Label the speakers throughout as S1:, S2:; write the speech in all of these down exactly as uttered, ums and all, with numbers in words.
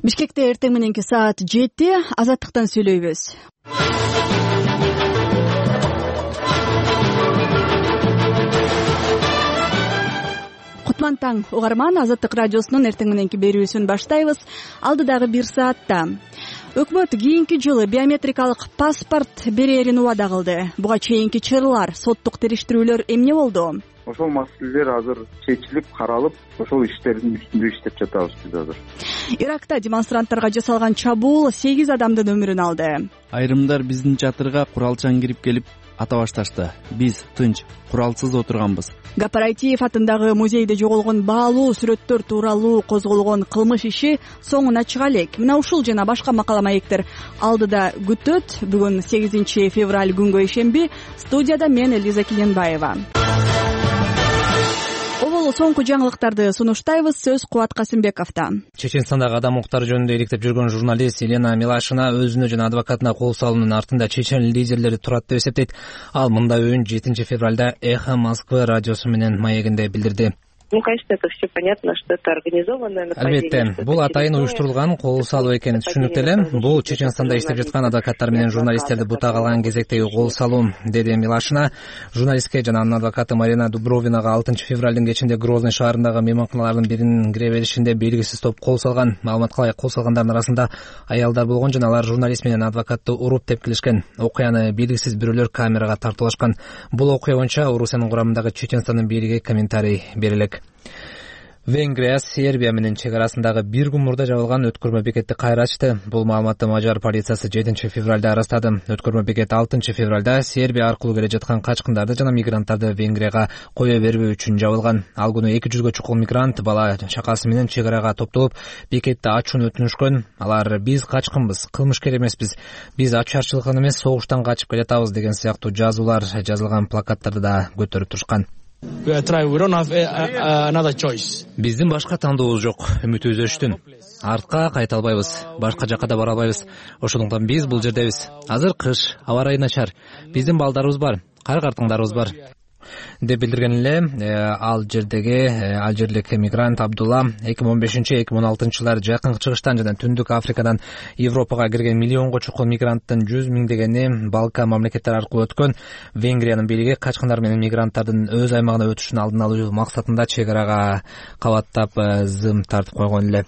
S1: Бишкекте эртең мененки саат жети азаттыктан сүйлөйбүз. Кутман таң угарман, Азаттык радиосунун эртең мененки берүүсүн баштайбыз. Алдыдагы бир саатта өкмөт кийинки жылы биометрикалык паспорт берерин убада кылды. Буга чейинки чырлар, соттук териштирүүлөр эмне болду?
S2: Ошол маселелер азыр чечилип, каралып, ошол иштердин үстүндө иштеп жатабыз биз азыр.
S1: Иракта демонстранттарга жасалган чабуул сегиз адамдын өмүрүн алды.
S3: Айрымдар биздин чатырга куралчан кирип келип ата башташты. Биз тынч, куралсыз отурганбыз.
S1: Гапараитиев атындагы музейде жоголгон баалуу сүрөттөр тууралуу козголгон кылмыш иши соңуна чыга элек. Мына ушул жана башка макала маектер алдыда күтөт. Бүгүн сегизинчи февраль күнгө ишемби. Студияда мен Элиза Киленбаева. Обол соңку жаңылыктарды сунуштайбыз. Сөз Кубат Касымбековдо.
S4: Чеченстандагы адам укуктары жөнүндө иликтеп жүргөн журналист Елена Милашина өзүнө жана адвокатына кол салуунун артында чечен лидерлери турат деп эсептейт. Ал мындай оюн жетинчи февралда Эхо Москвы радиосу менен маегинде билдирди.
S5: Ну, конечно, это все понятно, что это организованное нападение.
S4: Албетте, бул атайын уюштурулган кол салуу экени түшүнүктүү эле. Бул Чеченстанда иштеп жаткан адвокаттар менен журналисттерди бутак алган кезектеги кол салуу, деди Милашина. Журналистке жана анын адвокаты Марина Дубровинага алтынчы февралдын кечинде Грозный шаарындагы мейманканалардын биринин кире беришинде белгисиз топ кол салган. Маалыматка ылайык, кол салгандардын арасында аялдар болгон жана алар журналист менен адвокатты уруп тепкилешкен. Окуяны белгисиз бирөөлөр камерага тартуулашкан. Бул окуя боюнча Орусиянын курамындагы Чеченстандын бийлиги комментарий бере элек. Венгрия Сербия менен чек арасындагы бир күн мурда жабылган өткөрмө бекетти кайра ачты. Бул маалыматты Мажар полициясы жетинчи февралда ырастады. Өткөрмө бекет алтынчы февралда Сербия аркылуу келе жаткан качкындарды жана мигранттарды Венгрияга кое бербөө үчүн жабылган. Ал күнү эки жүзгө чукул мигрант бала чакасы менен чек арага топтолуп, бекетти ачууну өтүнүшкөн. Алар: "Биз качкынбыз, кылмышкер эмеспиз. Биз ачуучарчылыктан эмес, согуштан качып келатабыз" деген сыяктуу жазуулар жазылган плакаттарды да көтөрүп турушкан. Биздин башка тандообуз жок. Үмүтүбүз өчтүн. Артка кайта албайбыз. Башка жакка да бара албайбыз. Ошондуктан биз бул жердебиз. Азыр кыш, аба ырайы начар. Биздин балдарыбыз бар, кар-картыңдарыбыз бар деп билдирген эле ал жердеги алжирлик мигрант Абдулла. эки миң он бешинчи эки миң он алтынчы жылдары Жакын Чыгыштан жана Түндүк Африкадан Европага кирген миллионго чукул мигранттын жүз миңдегени Балкан мамлекеттери аркылуу өткөн. Венгриянын бийлиги качкындар менен мигранттардын өз аймагына өтүшүн алдын алуу максатында чек арага кабаттап зым тартып койгон эле.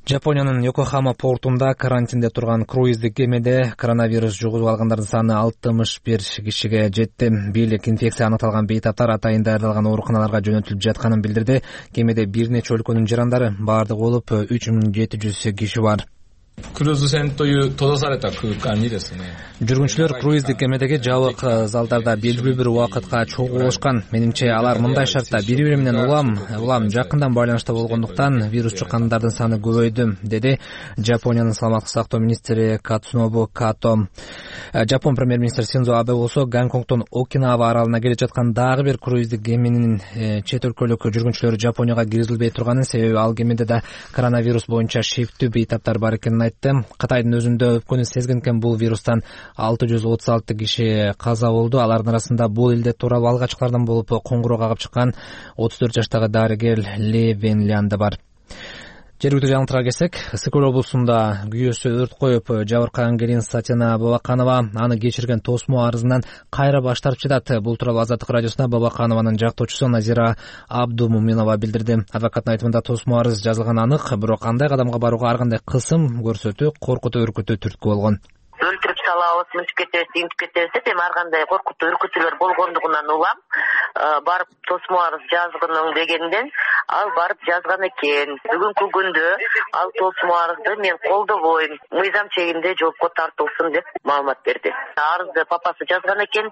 S4: Жапониянын Йокохама портунда карантинде турган круиздик кемеде коронавирус жугузуп алгандардын саны алтымыш бир кишиге жетти. Бийлик инфекция анықталган бейтаптар атайын даярдалган ооруканаларга жөнөтүлүп жатканын билдирди. Кемеде бир нече өлкөнүн жарандары, баардыгы болуп үч миң жети жүз киши бар. Жүргүнчүлөр круиздик кемедеги жабык залдарда белгилүү бир убакытка чогулушкан. Менимче алар мындай шартта бири-бири менен улам улам жакындан байланышта болгондуктан вирус жуккандардын саны көбөйдү, деди Жапониянын саламаттык сактоо министри Кацунобу Като. Жапон премьер-министри Синдзо Абе болсо Гонконгдон Окинава аралына келе жаткан дагы бир круиздик кеменин чет өлкөлүк жүргүнчүлөрү Жапонияга киргизилбей турганын, себеби ал кемеде да коронавирус боюнча шектүү бейтаптар бар экенин айтты. Кытайдын өзүндө өпкөнү сезген экен бул вирустан алты жүз отуз алты киши каза болду. Алардын арасында бул элде тууралуу алгачкылардан болуп коңгуроо кагып чыккан отуз төрт жаштагы дарыгер Ле Венлян да бар. Жергиликтүү жаңылыктарга келсек, Ысык-Көл облусунда күйөөсү өрт коюп жабыркаган келин Сатина Бабаканова аны кечирген тосмо арызынан кайра баш тартып жатат. Бул тууралуу Азаттык радиосуна Бабаканованын жактоочусу Назира Абдумуминова билдирди. Адвокаттын айтымында тосмо арыз жазылган анык, бирок кандай кадамга барууга ар кандай кысым көрсөтүү, коркутуу, үркүтүү түрткү болгон.
S5: Өлтүрүп салабыз, мынтип кетебиз, интип кетебиз деп эми ар кандай коркутуу, үркүтүүлөр болгондугунан улам барып тосмо арыз жазгынын дегенден ал барып жазган экен. Бүгүнкү күндө ал тосмо арызды мен колдобойм, мыйзам чегинде жоопко тартылсын деп маалымат берди. Арызды папасы жазган экен,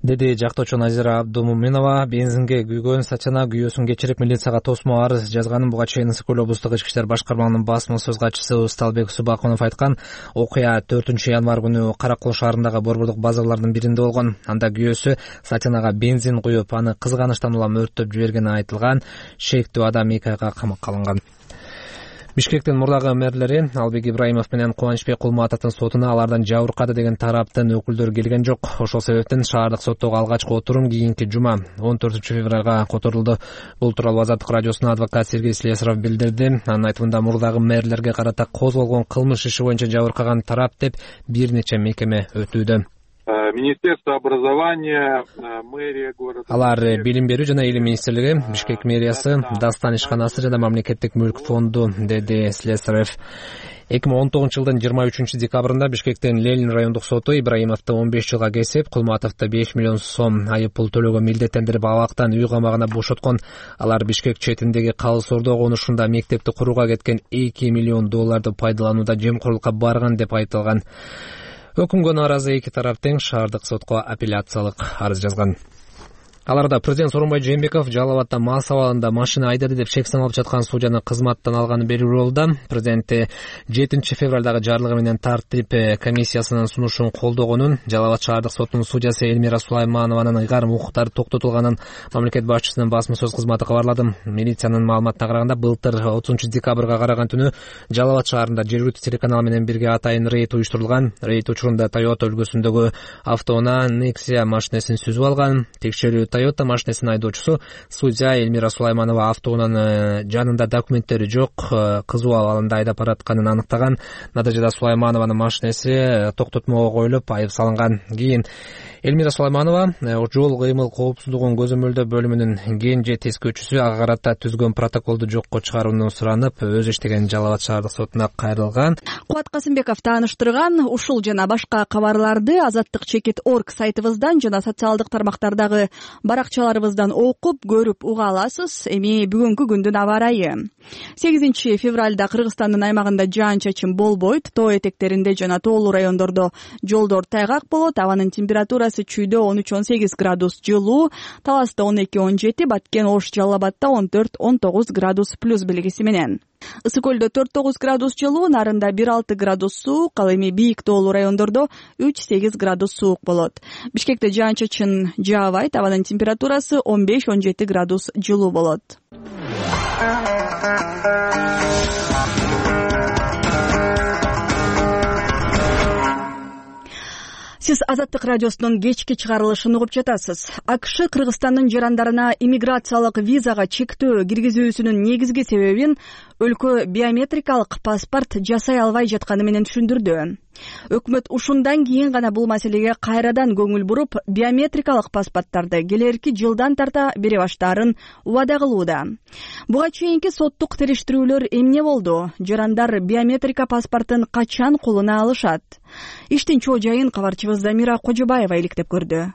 S4: деди жактоочу Назира Абдумуминова. Бензинге күйгөн Сатина күйөөсүн кечирип милицияга тосмо арыз жазганын буга чейин Ысык-Көл облустук ички иштер башкармалыгынын басма сөз катчысы Усталбек Субакунов айткан. Окуя төртүнчү январь күнү Каракол шаарындагы борбордук базарлардын биринде болгон. Анда күйөөсү Сатинага бензин куюп, аны кызганычтан улам өрттөп жибергени айтылган. Шектүү адам эки айга камакка алынган. Бишкектин мурдагы мэрлери Албек Ибраимов менен Кубанычбек Кулматовдун сотуна алардан жабыркады деген тараптын өкүлдөрү келген жок. Ошол себептен шаардык соттогу алгачкы отурум кийинки жума он төртүнчү февралга которулду. Бул тууралуу Азаттык радиосуна адвокат Сергей Слесаров билдирди. Анын айтымында мурдагы мэрлерге карата козголгон кылмыш иши боюнча жабыркаган тарап деп бир нече мекеме өтүүдө.
S6: Министерство образования, мэрия города.
S4: Алар билим берүү жана илим министрлиги, Бишкек мэриясы, Дастан ишканасы жана мамлекеттик мүлк фонду, деди Слесарев. эки миң он тогузунчу жылдын жыйырма үчүнчү декабрында Бишкектин Ленин райондук соту Ибраимовду он беш жылга кесип, Кулматовду беш миллион сом айып пул төлөөгө милдеттендирип абактан үй камагына бошоткон. Алар Бишкек четиндеги Калыс Ордо конушунда мектепти курууга кеткен эки миллион долларды пайдаланууда жемкорлукка барган деп айтылган. Өкүмгө нааразы эки тарап тең шаардык сотко апелляциялык арыз жазган. Аларда президент Сооронбай Жээнбеков Жалал Абадда мал сабагында машина айдады деп шек саналып жаткан судьяны кызматтан алганы белгилүү болду. Президенти жетинчи февралдагы жарлыгы менен тартип комиссиясынын сунушун колдогонун, Жалал Абад шаардык сотунун судьясы Эльмира Сулайманованын ыйгарым укуктары токтотулганын мамлекет башчысынын басма сөз кызматы кабарлады. Милициянын маалыматына караганда былтыр отузунчу декабрга караган түнү Жалал Абад шаарында жергиликтүү телеканал менен бирге атайын рейд уюштурулган. Рейд учурунда Toyota үлгүсүндөгү автоунаа Nexia машинесин сүзүп алган. Текшерүү Toyota машинесинин айдоочусу судья Эльмира Сулайманова автоунаанын жанында документтери жок, кызуу абалында айдап баратканын аныктаган. Натыйжада Сулайманованын машинеси токтотмого коюлуп, айып салынган. Кийин Эльмира Сулайманова жол кыймыл коопсуздугун көзөмөлдөө бөлүмүнүн кенже тескөөчүсү ага карата түзгөн протоколду жокко чыгарууну суранып, өзү иштеген Жалал Абад шаардык сотуна кайрылган.
S1: Кубат Касымбеков тааныштырган. Ушул жана башка кабарларды азаттык чекит точка орг сайтыбыздан жана социалдык тармактардагы баракчаларыбыздан окуп, көрүп уга аласыз. Эми бүгүнкү күндүн аба ырайы. сегизинчи февралда Кыргызстандын аймагында жаан-чачын болбойт. Тоо этектеринде жана тоолуу райондордо жолдор тайгак болот. Абанын температурасы чүйдө он үч он сегиз градус жылуу, Таласта он эки он жети, Баткен, Ош, Жалал Абадда он төрт он тогуз градус плюс белгиси менен. Ысык көлдө төрт тогуз градус жылуу, Нарында бир алты градус суук, ал эми бийик тоолуу райондордо үч сегиз градус суук болот. Бишкекте жаан-чачын жаабайт, абанын температурасы он беш он жети градус жылуу болот. Сиз Азаттык радиосунун кечки чыгарылышын угуп жатасыз. АКШ Кыргызстандын жарандарына иммиграциялык визага чектөө киргизүүсүнүн негизги себебин өлкө биометрикалык паспорт жасай албай жатканы менен түшүндүрдү. Өкмөт ушундан кийин гана бул маселеге кайрадан көңүл буруп, биометрикалык паспорттарды келерки жылдан тарта бере баштаарын убада кылууда. Буга чейинки соттук териштирүүлөр эмне болду? Жарандар биометрика паспортун качан колуна алышат? Иштин чоо жайын кабарчыбыз Замира Кожобаева иликтеп көрдү.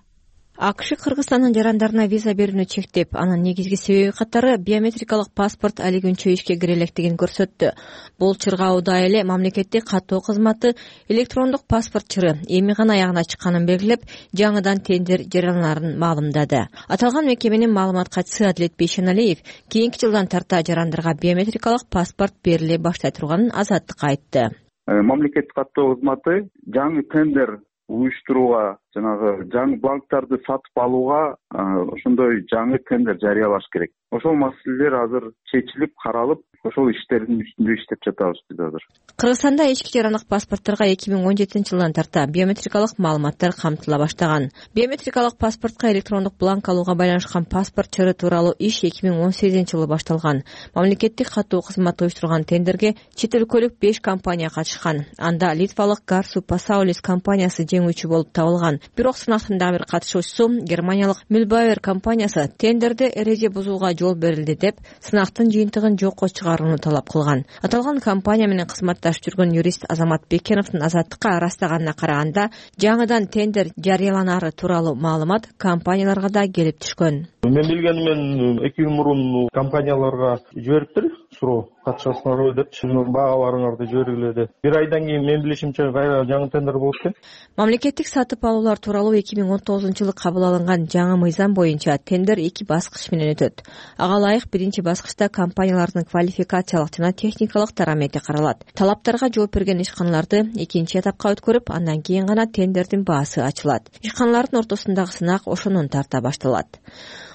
S7: АКШ Кыргызстандын жарандарына виза берүүнү чектеп, анын негизги себеби катары биометрикалык паспорт али күнчө ишке кире электигин көрсөттү. Бул чыргауда эле мамлекеттик каттоо кызматы электрондук паспорт чыры эми гана аягына чыкканын белгилеп, жаңыдан тендер жарыялаарын маалымдады. Аталган мекеменин маалымат катчысы Адилет Бейшеналиев кийинки жылдан тарта жарандарга биометрикалык паспорт бериле баштай турганын Азаттыкка айтты.
S2: Мамлекеттик каттоо кызматы жаңы тендер уюштурууга, жанагы жаңы бланктарды сатып алууга ошондой жаңы тендер жарыялаш керек. Ошол маселелер азыр чечилип, каралып, ошол иштердин үстүндө иштеп жатабыз биз азыр.
S7: Кыргызстанда ички жарандык паспортторго эки миң он жетинчи жылдан тарта биометрикалык маалыматтар камтыла баштаган. Биометрикалык паспортко электрондук бланк алууга байланышкан паспорт чыры тууралуу иш эки миң он сегизинчи жылы башталган. Мамлекеттик каттоо кызматы уюштурган тендерге чет өлкөлүк беш компания катышкан. Анда литвалык Garsu Pasaulis компаниясы жеңүүчү болуп табылган. Бирок сынактын дагы бир катышуучусу германиялык Mühlbauer компаниясы тендерде эреже бузууга жол берилди деп сынактын жыйынтыгын жокко чыгарууну талап кылган. Аталган компания менен кызматташып жүргөн юрист Азамат Бекеновдун Азаттыкка ырастаганына караганда, жаңыдан тендер жарыяланары тууралуу маалымат компанияларга да келип түшкөн.
S8: Мен билгеним эки жыл мурун компанияларга жибериптир, суроо катышасыңарбы деп, сиздин баагаларыңарды жибергиле деп. Бир айдан кийин мен билишимче кайра жаңы тендер болуп экен.
S7: Мамлекеттик сатып алуулар тууралуу эки миң он тогузунчу жылы кабыл алынган жаңы мыйзам боюнча тендер эки баскыч менен өтөт. Ага ылайык биринчи баскычта компаниялардын квалификациялык жана техникалык дарамети каралат. Талаптарга жооп берген ишканаларды экинчи этапка өткөрүп, андан кийин гана тендердин баасы ачылат. Ишканалардын ортосундагы сынак ошонун тарта башталат.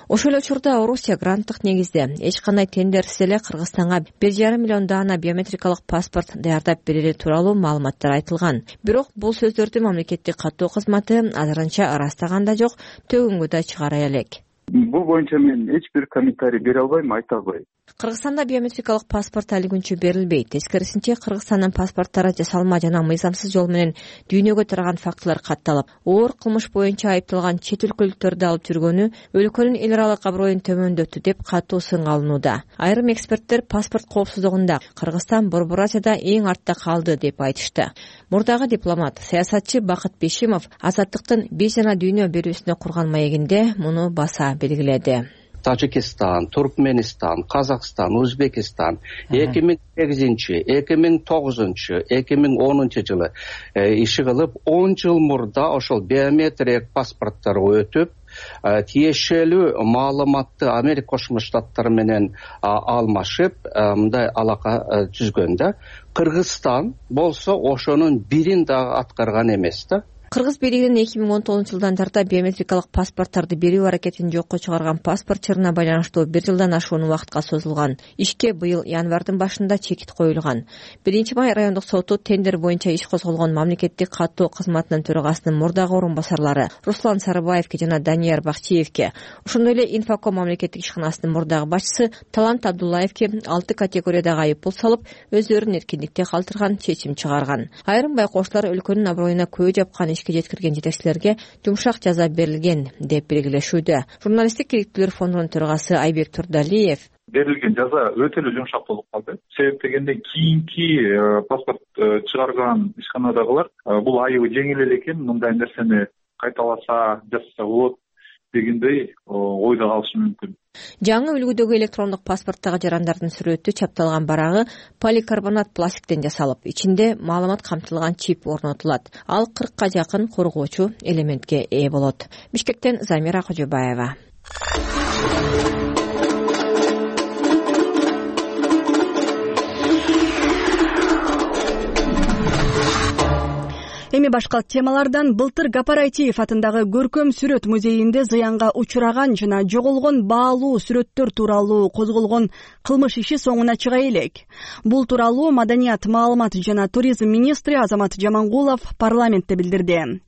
S7: Ошол эле учурда Орусия гранттык негизде эч кандай тендерсиз эле Кыргызстанга бир жарым миллион даана биометрикалык паспорт даярдап берери тууралуу маалыматтар айтылган. Бирок бул сөздөрдү мамлекеттик каттоо кызматы азырынча ырастаган да жок, төгүнгө да чыгара элек.
S2: Бул боюнча мен эч бир комментарий бере албайм, айта албайм.
S7: Кыргызстанда биометрикалык паспорт али күнчө берилбейт. Тескерисинче, Кыргызстандын паспорттары жасалма жана мыйзамсыз жол менен дүйнөгө тараган фактылар катталып, оор кылмыш боюнча айыпталган чет өлкөлүктөрдү алып жүргөнү өлкөнүн эл аралык аброюн төмөндөттү деп катуу сынга алынууда. Айрым эксперттер паспорт коопсуздугунда Кыргызстан Борбор Азияда эң артта калды деп айтышты. Мурдагы дипломат, саясатчы Бакыт Бешимов Азаттыктын биз жана дүйнө берүүсүнө курган маегинде муну баса белгиледи.
S9: Тажикистан, Туркменистан, Казакстан, Өзбекистан эки миң сегизинчи, эки миң тогузунчу, эки миң онунчу жылы иши кылып, он жыл мурда ошол биометрия паспортторго өтүп, тиешелүү маалыматты Америка Кошмо Штаттары менен алмашып, мындай алака түзгөн да. Кыргызстан болсо ошонун бирин дагы аткарган эмес да.
S7: Кыргыз бийлигинин эки миң он тогузунчу жылдан тарта биометрикалык паспорттарды берүү аракетин жокко чыгарган паспорт чырына байланыштуу бир жылдан ашуун убакытка созулган. Ишке быйыл январдын башында чекит коюлган. биринчи май райондук соту тендер боюнча иш козголгон мамлекеттик каттоо кызматынын төрагасынын мурдагы орун басарлары Руслан Сарыбаевке жана Данияр Бакчиевке, ошондой эле Инфоком мамлекеттик ишканасынын мурдагы башчысы Талант Абдуллаевке алты категориядагы айыппул салып, өздөрүн эркиндикте калтырган чечим чыгарган. Айрым байкоочулар өлкөнүн аброюна көө жапкан ишке жеткирген жетекчилерге жумшак жаза берилген деп белгилешүүдө. Журналисттик керектүүлөр фондунун төрагасы Айбек Турдалиев
S6: берилген жаза өтө эле жумшак болуп калды. Себеп дегенде кийинки паспорт чыгарган ишканадагылар бул айыбы жеңил эле экен, мындай нерсени кайталаса, жасаса болот дегендей ойдо калышы мүмкүн.
S7: Жаңы үлгүдөгү электрондук паспорттогу жарандардын сүрөтү чапталган барагы поликарбонат пластиктен жасалып, ичинде маалымат камтылган чип орнотулат. Ал кыркка жакын коргоочу элементке ээ болот. Бишкектен Замира Кожобаева.
S1: Эми башка темалардан былтыр Гапарайтиев атындагы Көркөм сүрөт музейинде зыянга учураган жана жоголгон баалуу сүрөттөр тууралуу козголгон кылмыш иши соңуна чыга элек. Бул тууралуу Маданият, маалымат жана туризм министри Азамат Жамангулов парламентте билдирди.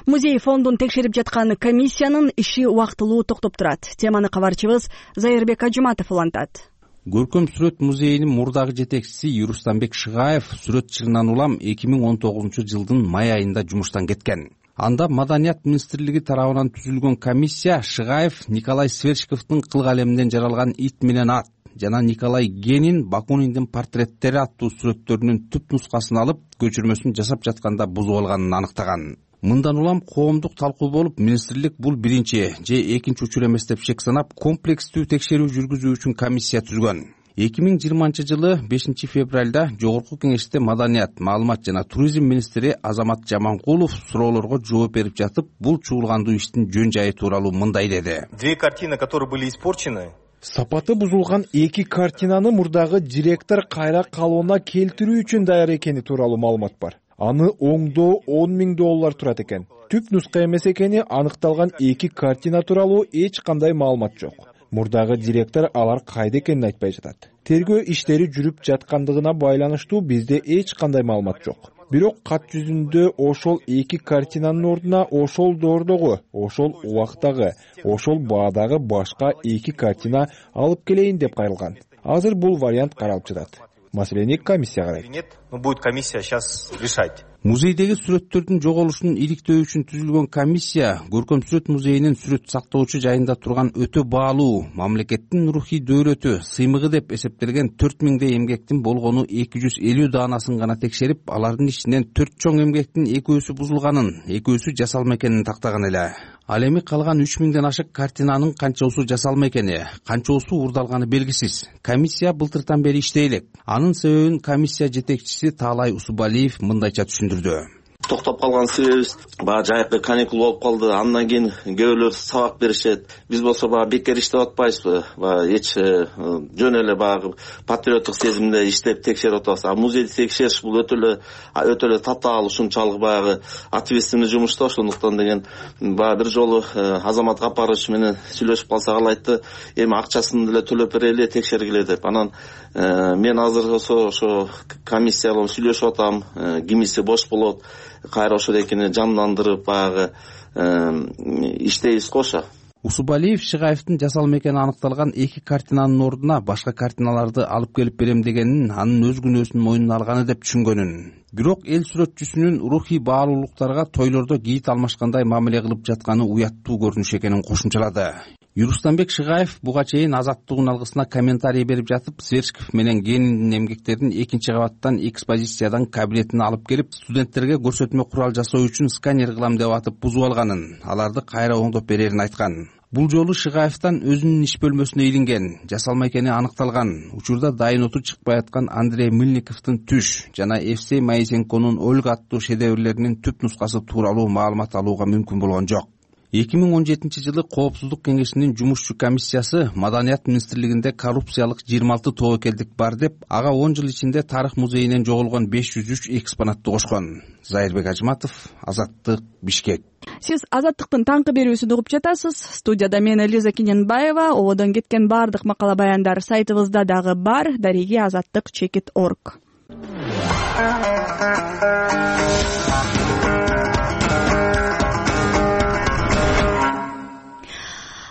S1: Музей фондун текшерип жаткан комиссиянын иши убактылуу токтоп турат. Теманы кабарчыбыз Зайырбек Ажыматов улантат.
S3: Көркөм сүрөт музейинин мурдагы жетекчиси Юрустамбек Шыгаев сүрөт чырынан улам эки миң он тогузунчу жылдын май айында жумуштан кеткен. Анда Маданият министрлиги тарабынан түзүлгөн комиссия Шыгаев Николай Сверчковдун кыл калеминен жаралган Ит менен ат жана Николай Генин Бакуниндин портреттери аттуу сүрөттөрүнүн түп нускасын алып, көчүрмөсүн жасап жатканда бузуп алганын аныктаган. Мындан улам коомдук талкуу болуп, министрлик бул биринчи же экинчи учур эмес деп шек санап, комплекстүү текшерүү жүргүзүү үчүн комиссия түзгөн. эки миң жыйырманчы жылы бешинчи февралда Жогорку кеңеште Маданият, маалымат жана туризм министри Азамат Жамангулов суроолорго жооп берип жатып, бул чуулгандуу иштин жөн жайы тууралуу мындай деди.
S10: Две картины, которые были испорчены.
S11: Сапаты бузулган эки картинаны мурдагы директор кайра калыбына келтирүү үчүн даяр экени тууралуу маалымат бар. Аны оңдоо он миң доллар турат экен. Түп нуска эмес экени аныкталган эки картина тууралуу эч кандай маалымат жок. Мурдагы директор алар кайда экенин айтпай жатат. Тергөө иштери жүрүп жаткандыгына байланыштуу бизде эч кандай маалымат жок. Бирок кат жүзүндө ошол эки картинанын ордуна ошол доордогу, ошол убактагы, ошол баадагы башка эки картина алып келейин деп кайрылган. Азыр бул вариант каралып жатат. Маселени комиссия карайт.
S10: Нет, но будет комиссия сейчас решать.
S3: Музейдеги сүрөттөрдүн жоголушун иликтөө үчүн түзүлгөн комиссия Көркөм сүрөт музейинин сүрөт сактоочу жайында турган өтө баалуу, мамлекеттин рухий дөөрөтү, сыймыгы деп эсептелген төрт миңдей эмгектин болгону эки жүз элүү даанасын гана текшерип, алардын ичинен төрт чоң эмгектин экөөсү бузулганын, экөөсү жасалма экенин тактаган эле. Ал эми калган үч миңден ашык картинанын канчоосу жасалма экени, канчоосу урдалганы белгисиз. Комиссия былтыртан бери иштей элек. Анын себебин комиссия жетекчиси Таалай Усубалиев мындайча түшүндүрдү.
S12: токтоп калган себебибиз баягы жайкы каникул болуп калды. Андан кийин көбүлөр сабак беришет. Биз болсо баягы бекер иштеп атпайбызбы? Баягы эч жөн эле баягы патриоттук сезимде иштеп текшерип атабыз. А музейди текшериш бул өтө эле өтө эле татаал, ушунчалык баягы ответственный жумуш да. Ошондуктан деген баягы бир жолу Азамат Капарович менен сүйлөшүп калсак, ал айтты, эми акчасын деле төлөп берели, текшергиле деп. Анан мен азыр болсо ошо комиссия менен сүйлөшүп атам. Кимиси бош болот, кайра ошол экини жандандырып баягы иштейбиз го. Ошо
S3: Усубалиев Шыгаевдин жасалма экени аныкталган эки картинанын ордуна башка картиналарды алып келип берем дегенин, анын өз күнөөсүн мойнуна алганы деп түшүнгөнүн. Бирок эл сүрөтчүсүнүн рухий баалуулуктарга тойлордо кийит алмашкандай мамиле кылып жатканы уяттуу көрүнүш экенин кошумчалады. Юрустамбек Шыгаев буга чейин Азаттык алгысына комментарий берип жатып, Сверчков менен Гениндин эмгектерин экинчи кабаттан экспозициядан кабинетине алып келип, студенттерге көрсөтмө курал жасоо үчүн сканер кылам деп атып бузуп алганын, аларды кайра оңдоп берерин айткан. Бул жолу Шыгаевден өзүнүн иш бөлмөсүнө илинген, жасалма экени аныкталган, учурда дайын оту чыкпай аткан Андрей Мыльниковдун Түш жана Евсей Моисенконун Ольга аттуу шедеврлеринин түп нускасы тууралуу маалымат алууга мүмкүн болгон жок. эки миң он жетинчи жылы Коопсуздук кеңешинин жумушчу комиссиясы Маданият министрлигинде коррупциялык жыйырма алты тобокелдик бар деп, ага он жыл ичинде тарых музейинен жоголгон беш жүз үч экспонатты кошкон. Зайырбек Ажматов, Азаттык, Бишкек.
S1: Сиз Азаттыктын таңкы берүүсүн угуп жатасыз. Студияда мен Лиза Киненбаева. Ободон кеткен баардык макала баяндар сайтыбызда дагы бар. Дареги азаттык чекит точка орг.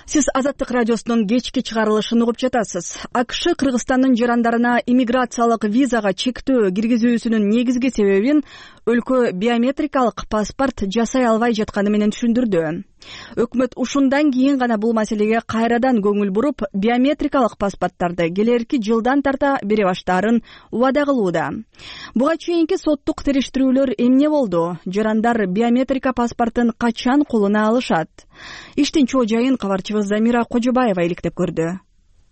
S1: Сиз Азаттык радиосунун кечки чыгарылышын угуп жатасыз. АКШ Кыргызстандын жарандарына иммиграциялык визага чектөө киргизүүсүнүн негизги себебин өлкө биометрикалык паспорт жасай албай жатканы менен түшүндүрдү. Өкмөт ушундан кийин гана бул маселеге кайрадан көңүл буруп, биометрикалык паспорттарды келерки жылдан тарта бере баштаарын убада кылууда. Буга чейинки соттук териштирүүлөр эмне болду? Жарандар биометрика паспортун качан колуна алышат? Иштин чоо жайын кабарчыбыз Замира Кожобаева иликтеп көрдү.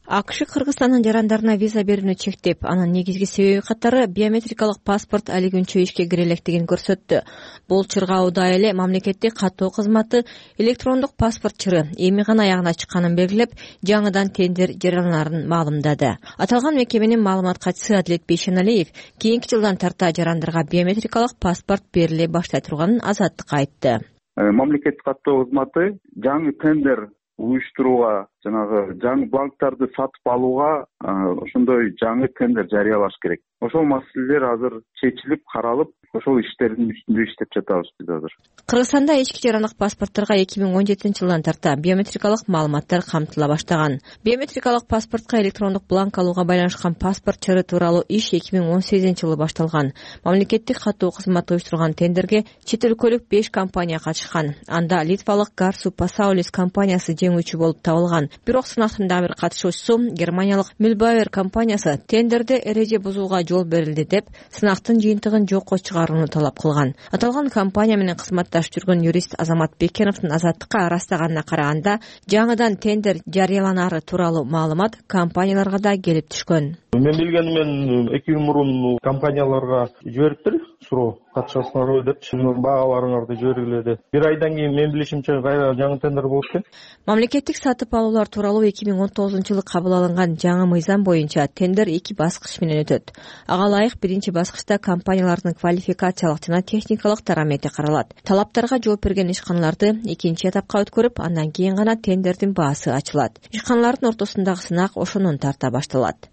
S7: АКШ Кыргызстандын жарандарына виза берүүнү чектеп, анын негизги себеби катары биометрикалык паспорт али күнчө ишке кире электигин көрсөттү. Бул чыргауда эле мамлекеттик каттоо кызматы электрондук паспорт чыры эми гана аягына чыкканын белгилеп, жаңыдан тендер жарыяланарын маалымдады. Аталган мекеменин маалымат катчысы Адилет Бейшеналиев кийинки жылдан тарта жарандарга биометрикалык паспорт бериле баштай турганын Азаттыкка айтты.
S2: Мамлекеттик каттоо кызматы жаңы тендер уюштурууга, жанагы жаңы бланктарды сатып алууга ошондой жаңы тендер жарыялаш керек. Ошол маселелер азыр чечилип, каралып, ошол иштердин үстүндө иштеп жатабыз биз азыр.
S7: Кыргызстанда ички жарандык паспортторго эки миң он жетинчи жылдан тарта биометрикалык маалыматтар камтыла баштаган. Биометрикалык паспортко электрондук бланк алууга байланышкан паспорт чыры тууралуу иш эки миң он сегизинчи жылы башталган. Мамлекеттик каттоо кызматы уюштурган тендерге чет өлкөлүк беш компания катышкан. Анда литвалык Garsu Pasaulis компаниясы жеңүүчү болуп табылган. Бирок сынактын дагы бир катышуучусу германиялык Mühlbauer компаниясы тендерде эреже бузууга жол берилди деп, сынактын жыйынтыгын жокко чыгарууну талап кылган. Аталган компания менен кызматташып жүргөн юрист Азамат Бекеновдун Азаттыкка ырастаганына караганда, жаңыдан тендер жарыяланары тууралуу маалымат компанияларга да келип түшкөн.
S8: Мен билгеним мен эки жыл мурун компанияларга жибериптир, суроо катышасыңарбы деп, сиздин баагаларыңарды жибергиле деп. Бир айдан кийин мен билишимче кайра жаңы тендер болуп экен.
S7: Мамлекеттик сатып алуулар тууралуу эки миң он тогузунчу жылы кабыл алынган жаңы мыйзам боюнча тендер эки баскыч менен өтөт. Ага ылайык биринчи баскычта компаниялардын квалификациялык жана техникалык дарамети каралат. Талаптарга жооп берген ишканаларды экинчи этапка өткөрүп, андан кийин гана тендердин баасы ачылат. Ишканалардын ортосундагы сынак ошонун тарта башталат.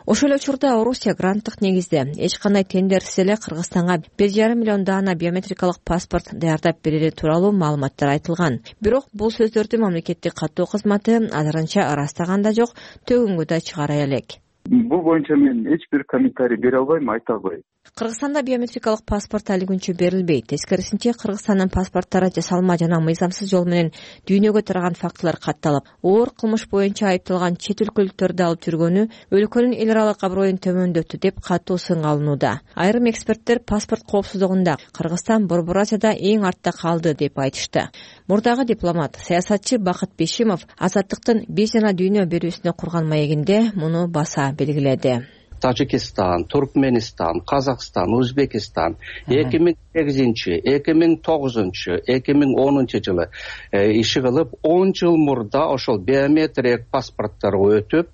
S7: Ошол эле учурда Орусия гранттык негизде эч кандай тендерсиз эле Кыргызстанга бир жарым миллион даана биометрикалык паспорт даярдап берери тууралуу маалыматтар айтылган. Бирок бул сөздөрдү мамлекеттик каттоо кызматы азырынча ырастаган да жок, төгүнгө да чыгара элек.
S2: Бул боюнча мен эч бир комментарий бере албайм, айта албайм.
S7: Кыргызстанда биометрикалык паспорт али күнчө берилбейт. Тескерисинче Кыргызстандын паспорттары жасалма жана мыйзамсыз жол менен дүйнөгө тараган фактылар катталып, оор кылмыш боюнча айыпталган чет өлкөлүктөрдү алып жүргөнү өлкөнүн эл аралык аброюн төмөндөттү деп катуу сынга алынууда. Айрым эксперттер паспорт коопсуздугунда Кыргызстан Борбор Азияда эң артта калды деп айтышты. Мурдагы дипломат, саясатчы Бакыт Бешимов Азаттыктын биз жана дүйнө берүүсүнө курган маегинде муну баса белгиледи.
S9: Тажикистан, Туркменистан, Казакстан, Өзбекистан эки миң сегизинчи эки миң тогузунчу эки миң онунчу жылы иши кылып он жыл мурда ошол биометриялык паспортторго өтүп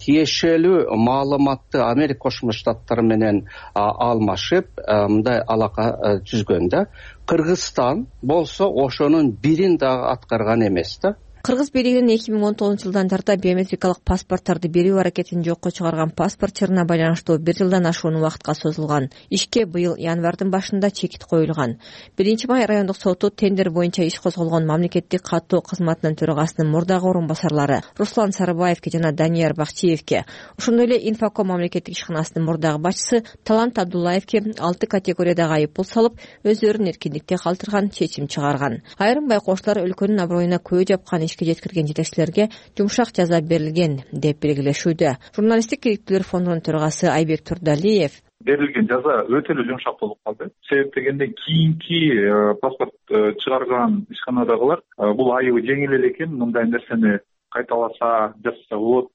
S9: тиешелүү маалыматты Америка Кошмо Штаттары менен алмашып мындай алака түзгөн да. Кыргызстан болсо ошонун бирин дагы аткарган эмес да.
S7: Кыргыз бийлигинин эки миң он тогузунчу жылдан тарта биометрикалык паспортторду берүү аракетин жокко чыгарган паспорт чырына байланыштуу бир жылдан ашуун убакытка созулган. Ишке быйыл январдын башында чекит коюлган. Биринчи май райондук соту тендер боюнча иш козголгон мамлекеттик каттоо кызматынын төрагасынын мурдагы орун басарлары Руслан Сарыбаевке жана Данияр Бакчиевке, ошондой эле Инфоком мамлекеттик ишканасынын мурдагы башчысы Талант Абдуллаевке алты категориядагы айыппул салып, өздөрүн эркиндикте калтырган чечим чыгарган. Айрым байкоочулар өлкөнүн аброюна көө жапкан ишке жеткирген жетекчилерге жумшак жаза берилген деп белгилешүүдө. Журналисттик керектүүлөр фондунун төрагасы Айбек Турдалиев
S6: берилген жаза өтө эле жумшак болуп калды. Себеп дегенде кийинки паспорт чыгарган ишканадагылар бул айыбы жеңил эле экен, мындай нерсени кайталаса, жасаса болот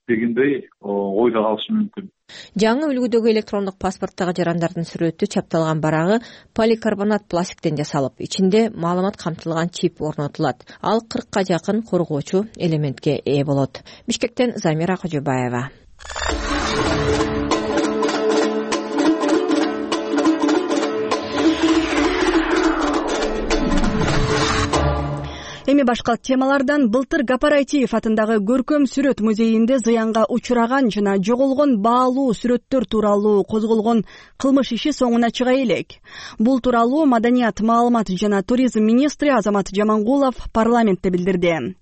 S6: дегендей ойдо калышы мүмкүн.
S7: Жаңы үлгүдөгү электрондук паспорттогу жарандардын сүрөтү чапталган барагы поликарбонат пластиктен жасалып, ичинде маалымат камтылган чип орнотулат. Ал кыркка жакын коргоочу элементке ээ болот. Бишкектен Замира Кожобаева.
S1: Эми башка темалардан былтыр Гапар Айтиев атындагы Көркөм сүрөт музейинде зыянга учураган жана жоголгон баалуу сүрөттөр тууралуу козголгон кылмыш иши соңуна чыга элек. Бул тууралуу Маданият, маалымат жана туризм министри Азамат Жамангулов парламентте билдирди.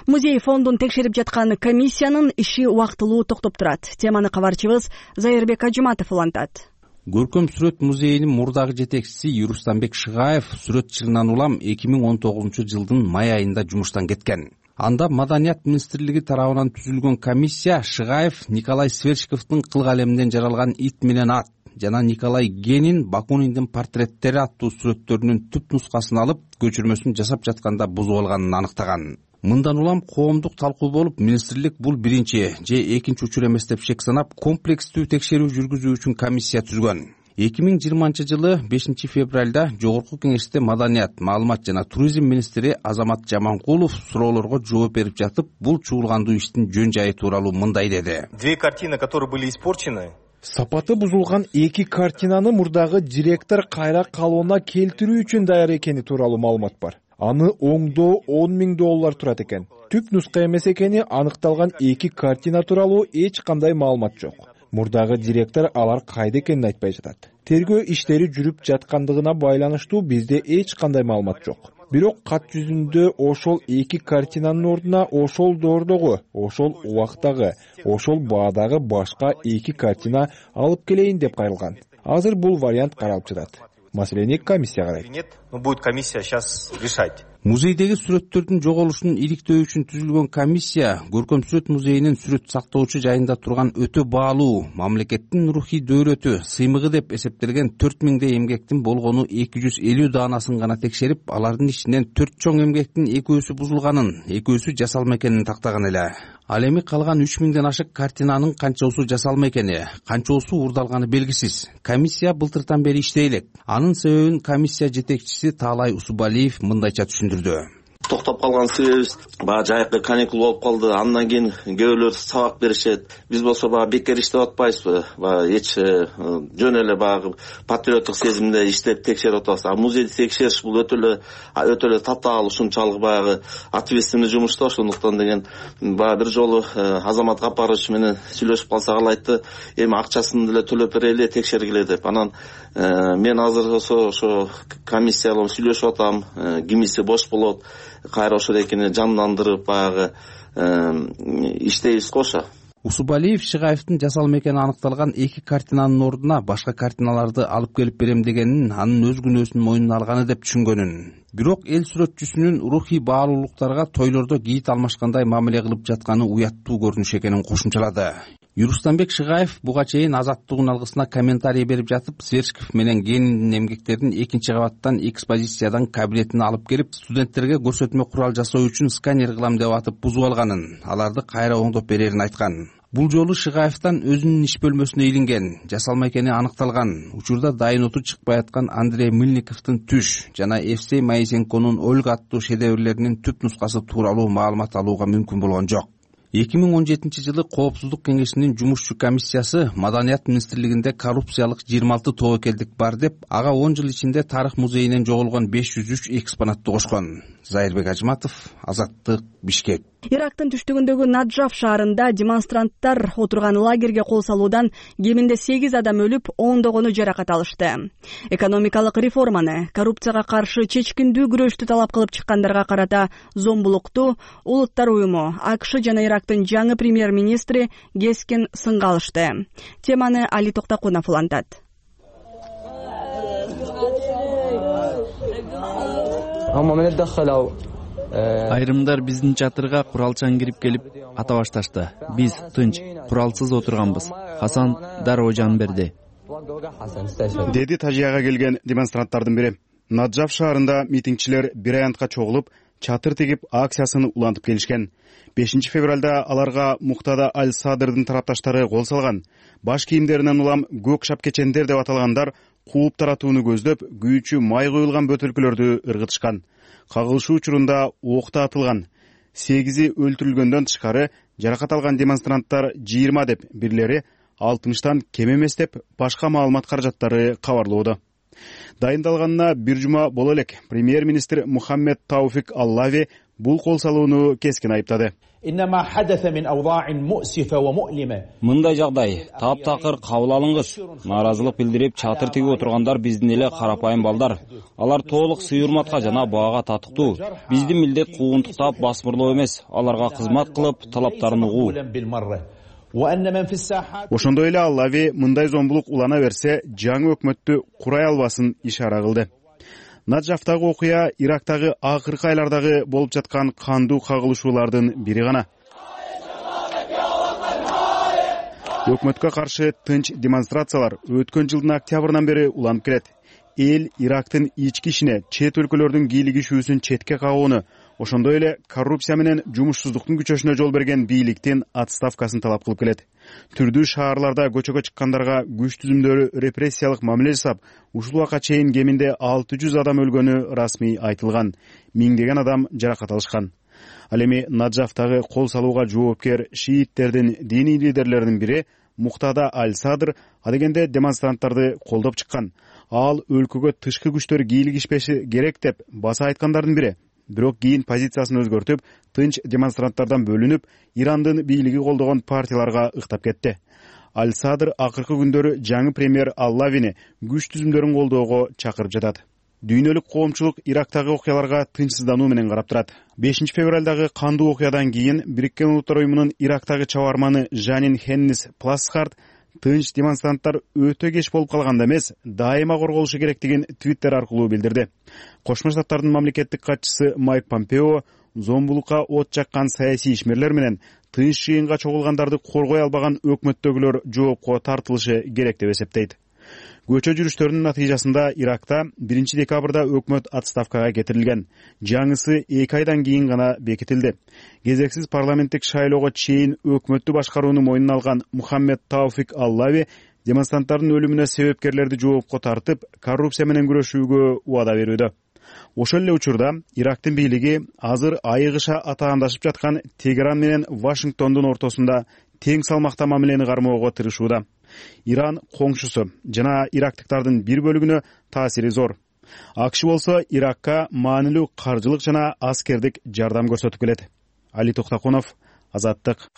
S1: Музей фондун текшерип жаткан комиссиянын иши убактылуу токтоп турат. Теманы кабарчыбыз Зайырбек Ажыматов улантат.
S3: Көркөм сүрөт музейинин мурдагы жетекчиси Юрустамбек Шыгаев сүрөт жылынан улам эки миң он тогузунчу жылдын май айында жумуштан кеткен. Анда Маданият министрлиги тарабынан түзүлгөн комиссия Шыгаев Николай Сверчковдун кыл калеминен жаралган Ит менен ат жана Николай Генин Бакуниндин портреттери аттуу сүрөттөрүнүн түп нускасын алып, көчүрмөсүн жасап жатканда бузуп алганын аныктаган. Мындан улам коомдук талкуу болуп, министрлик бул биринчи же экинчи учур эмес деп шек санап, комплекстүү текшерүү жүргүзүү үчүн комиссия түзгөн. эки миң жыйырманчы жылы бешинчи февралда Жогорку кеңеште Маданият, маалымат жана туризм министри Азамат Жамангулов суроолорго жооп берип жатып, бул чуулгандуу иштин жөн жайы тууралуу мындай деди.
S10: Две картины, которые были испорчены,
S11: сапаты бузулган эки картинаны мурдагы директор кайра калыбына келтирүү үчүн даяр экени тууралуу маалымат бар. Аны оңдоо он миң доллар турат экен. Түп нуска эмес экени аныкталган эки картина тууралуу эч кандай маалымат жок. Мурдагы директор алар кайда экенин айтпай жатат. Тергөө иштери жүрүп жаткандыгына байланыштуу бизде эч кандай маалымат жок. Бирок кат жүзүндө ошол эки картинанын ордуна ошол доордогу, ошол убактагы, ошол баадагы башка эки картина алып келейин деп кайрылган. Азыр бул вариант каралып жатат. Маселени комиссия карайт.
S10: Нет, но будет комиссия сейчас решать.
S3: Музейдеги сүрөттөрдүн жоголушун иликтөө үчүн түзүлгөн комиссия Көркөм сүрөт музейинин сүрөт сактоочу жайында турган өтө баалуу, мамлекеттин рухий дөөрөтү, сыймыгы деп эсептелген төрт миңдей эмгектин болгону эки жүз элүү даанасын гана текшерип, алардын ичинен төрт чоң эмгектин экөөсү бузулганын, экөөсү жасалма экенин тактаган эле. Ал эми калган үч миңден ашык картинанын канчоосу жасалма экени, канчоосу урдалганы белгисиз. Комиссия былтыртан бери иштей элек. Анын себебин комиссия жетекчиси Таалай Усубалиев мындайча түшүндүрдү.
S12: Токтоп калган себебибиз баягы жайкы каникул болуп калды. Андан кийин көбүлөр сабак беришет. Биз болсо баягы бекер иштеп атпайбызбы? Баягы эч жөн эле баягы патриоттук сезимде иштеп текшерип атабыз. А музейди текшериш бул өтө эле өтө эле татаал, ушунчалык баягы ответственный жумуш да. Ошондуктан деген баягы бир жолу Азамат Гапарович менен сүйлөшүп калсак, ал айтты, эми акчасын деле төлөп берели, текшергиле деп. Анан мен азыр ошо ошо комиссия менен сүйлөшүп атам, кимиси бош болот. Кайра ошол экини жандандырып баягы иштейбиз кошо.
S3: Усубалиев Шыгаевдин жасалма экени аныкталган эки картинанын ордуна башка картиналарды алып келип берем дегенин, анын өз күнөөсүн мойнуна алганы деп түшүнгөнүн. Бирок эл сүрөтчүсүнүн рухий баалуулуктарга тойлордо кийит алмашкандай мамиле кылып жатканы уяттуу көрүнүш экенин кошумчалады. Юрустамбек Шыгаев буга чейин Азаттыгын алгысына комментарий берип жатып, Сверчков менен Гениндин эмгектерин экинчи кабаттан экспозициядан кабинетине алып келип, студенттерге көрсөтмө курал жасоо үчүн сканер кылам деп атып бузуп алганын, аларды кайра оңдоп берерин айткан. Бул жолу Шыгаевден өзүнүн иш бөлмөсүнө илинген, жасалма экени аныкталган. Учурда дайын оту чыкпай аткан Андрей Мыльниковдун «Түш» жана Евсей Моисенконун «Ольга» аттуу шедеврлеринин түп нускасы тууралуу маалымат алууга мүмкүн болгон жок. эки миң он жетинчи жылы Коопсуздук кеңешинин жумушчу комиссиясы Маданият министрлигинде коррупциялык жыйырма алты тобокелдик бар деп, ага он жыл ичинде тарых музейинен жоголгон беш жүз үч экспонатты кошкон. Зайырбек Ажматов, Азаттык, Бишкек.
S1: Ирактын түштүгүндөгү Наджаф шаарында демонстранттар отурган лагерге кол салуудан кеминде сегиз адам өлүп, ондогону жаракат алышты. Экономикалык реформаны, коррупцияга каршы чечкиндүү күрөштү талап кылып чыккандарга карата зомбулукту Улуттар уюму, АКШ жана Ирактын жаңы премьер-министри кескин сынга алышты. Теманы Али Токтакунов улантат.
S13: Айрымдар биздин чатырга куралчан кирип келип ата башташты. Биз тынч, куралсыз отурганбыз. Хасан дароо жан берди,
S14: деди Тажияга келген демонстранттардын бири. Наджаф шаарында митингчилер бир аянтка чогулуп, чатыр тигип акциясын улантып келишкен. бешинчи февралда аларга Муктада Аль-Садырдын тарапташтары кол салган. Баш кийимдеринен улам көк шапкечендер деп аталгандар кууп таратууну көздөп, күйүүчү май куюлган бөтөлкөлөрдү ыргытышкан. Кагылышуу учурунда окта атылган. сегизи өлтүрүлгөндөн тышкары жаракат алган демонстранттар жыйырма деп, бирлери алтымыштан кем эмес деп башка маалымат каражаттары кабарлоодо. Дайындалганына бир жума боло элек премьер-министр Мухаммед Тауфик Аллави бул кол салууну кескин айыптады.
S15: Мындай жагдай таптакыр кабыл алынгыс. Нааразылык билдирип чатыр тигип отургандар биздин эле карапайым балдар. Алар толук сый-урматка жана баага татыктуу. Биздин милдет куугунтуктап басмырлоо эмес, аларга кызмат кылып талаптарын угуу.
S14: Ошондой эле Аллави мындай зомбулук улана берсе, жаңы өкмөттү курай албасын ишара кылды. Наджафтагы окуя Ирактагы акыркы айлардагы болуп жаткан кандуу кагылышуулардын бири гана. Өкмөткө каршы тынч демонстрациялар өткөн жылдын октябрынан бери уланып келет. Эл Ирактын ички ишине, чет өлкөлөрдүн кийлигишүүсүн четке кагууну, ошондой эле коррупция менен жумушсуздуктун күчөшүнө жол берген бийликтин отставкасын талап кылып келет. Түрдүү шаарларда көчөгө чыккандарга күч түзүмдөрү репрессиялык мамиле жасап, ушул убакка чейин кеминде алты жүз адам өлгөнү расмий айтылган. Миңдеген адам жаракат алышкан. Ал эми Наджафтагы кол салууга жоопкер шииттердин диний лидерлеринин бири Муктада Аль-Садыр адегенде демонстранттарды колдоп чыккан. Ал өлкөгө тышкы күчтөр кийлигишпеши керек деп баса айткандардын бири. Бирок кийин позициясын өзгөртүп, тынч демонстранттардан бөлүнүп, Ирандын бийлиги колдогон партияларга ыктап кетти. Аль-Садыр акыркы күндөрү жаңы премьер Аллавини күч түзүмдөрүн колдоого чакырып жатат. Дүйнөлүк коомчулук Ирактагы окуяларга тынчсыздануу менен карап турат. бешинчи февралдагы кандуу окуядан кийин Бириккен Улуттар уюмунун Ирактагы чабарманы Жанин Хеннис Пласхарт тынч демонстранттар өтө кеч болуп калганда эмес, дайыма корголушу керектигин Твиттер аркылуу билдирди. Кошмо Штаттардын мамлекеттик катчысы Майк Помпео зомбулукка от жаккан саясий ишмерлер менен тынч жыйынга чогулгандарды коргой албаган өкмөттөгүлөр жоопко тартылышы керек деп эсептейт. Көчө жүрүштөрүнүн натыйжасында Иракта биринчи декабрда өкмөт отставкага кетирилген. Жаңысы эки айдан кийин гана бекитилди. Кезексиз парламенттик шайлоого чейин өкмөттү башкарууну мойнуна алган Мухаммед Тауфик Аллави демонстранттардын өлүмүнө себепкерлерди жоопко тартып, коррупция менен күрөшүүгө убада берүүдө. Ошол эле учурда Ирактын бийлиги азыр айыгыша атаандашып жаткан Тегеран менен Вашингтондун ортосунда тең салмакта мамилени кармоого тырышууда. Иран коңшусу жана ирактыктардын бир бөлүгүнө таасири зор. АКШ болсо Иракка маанилүү каржылык жана аскердик жардам көрсөтүп келет. Али Токтакунов, Азаттык.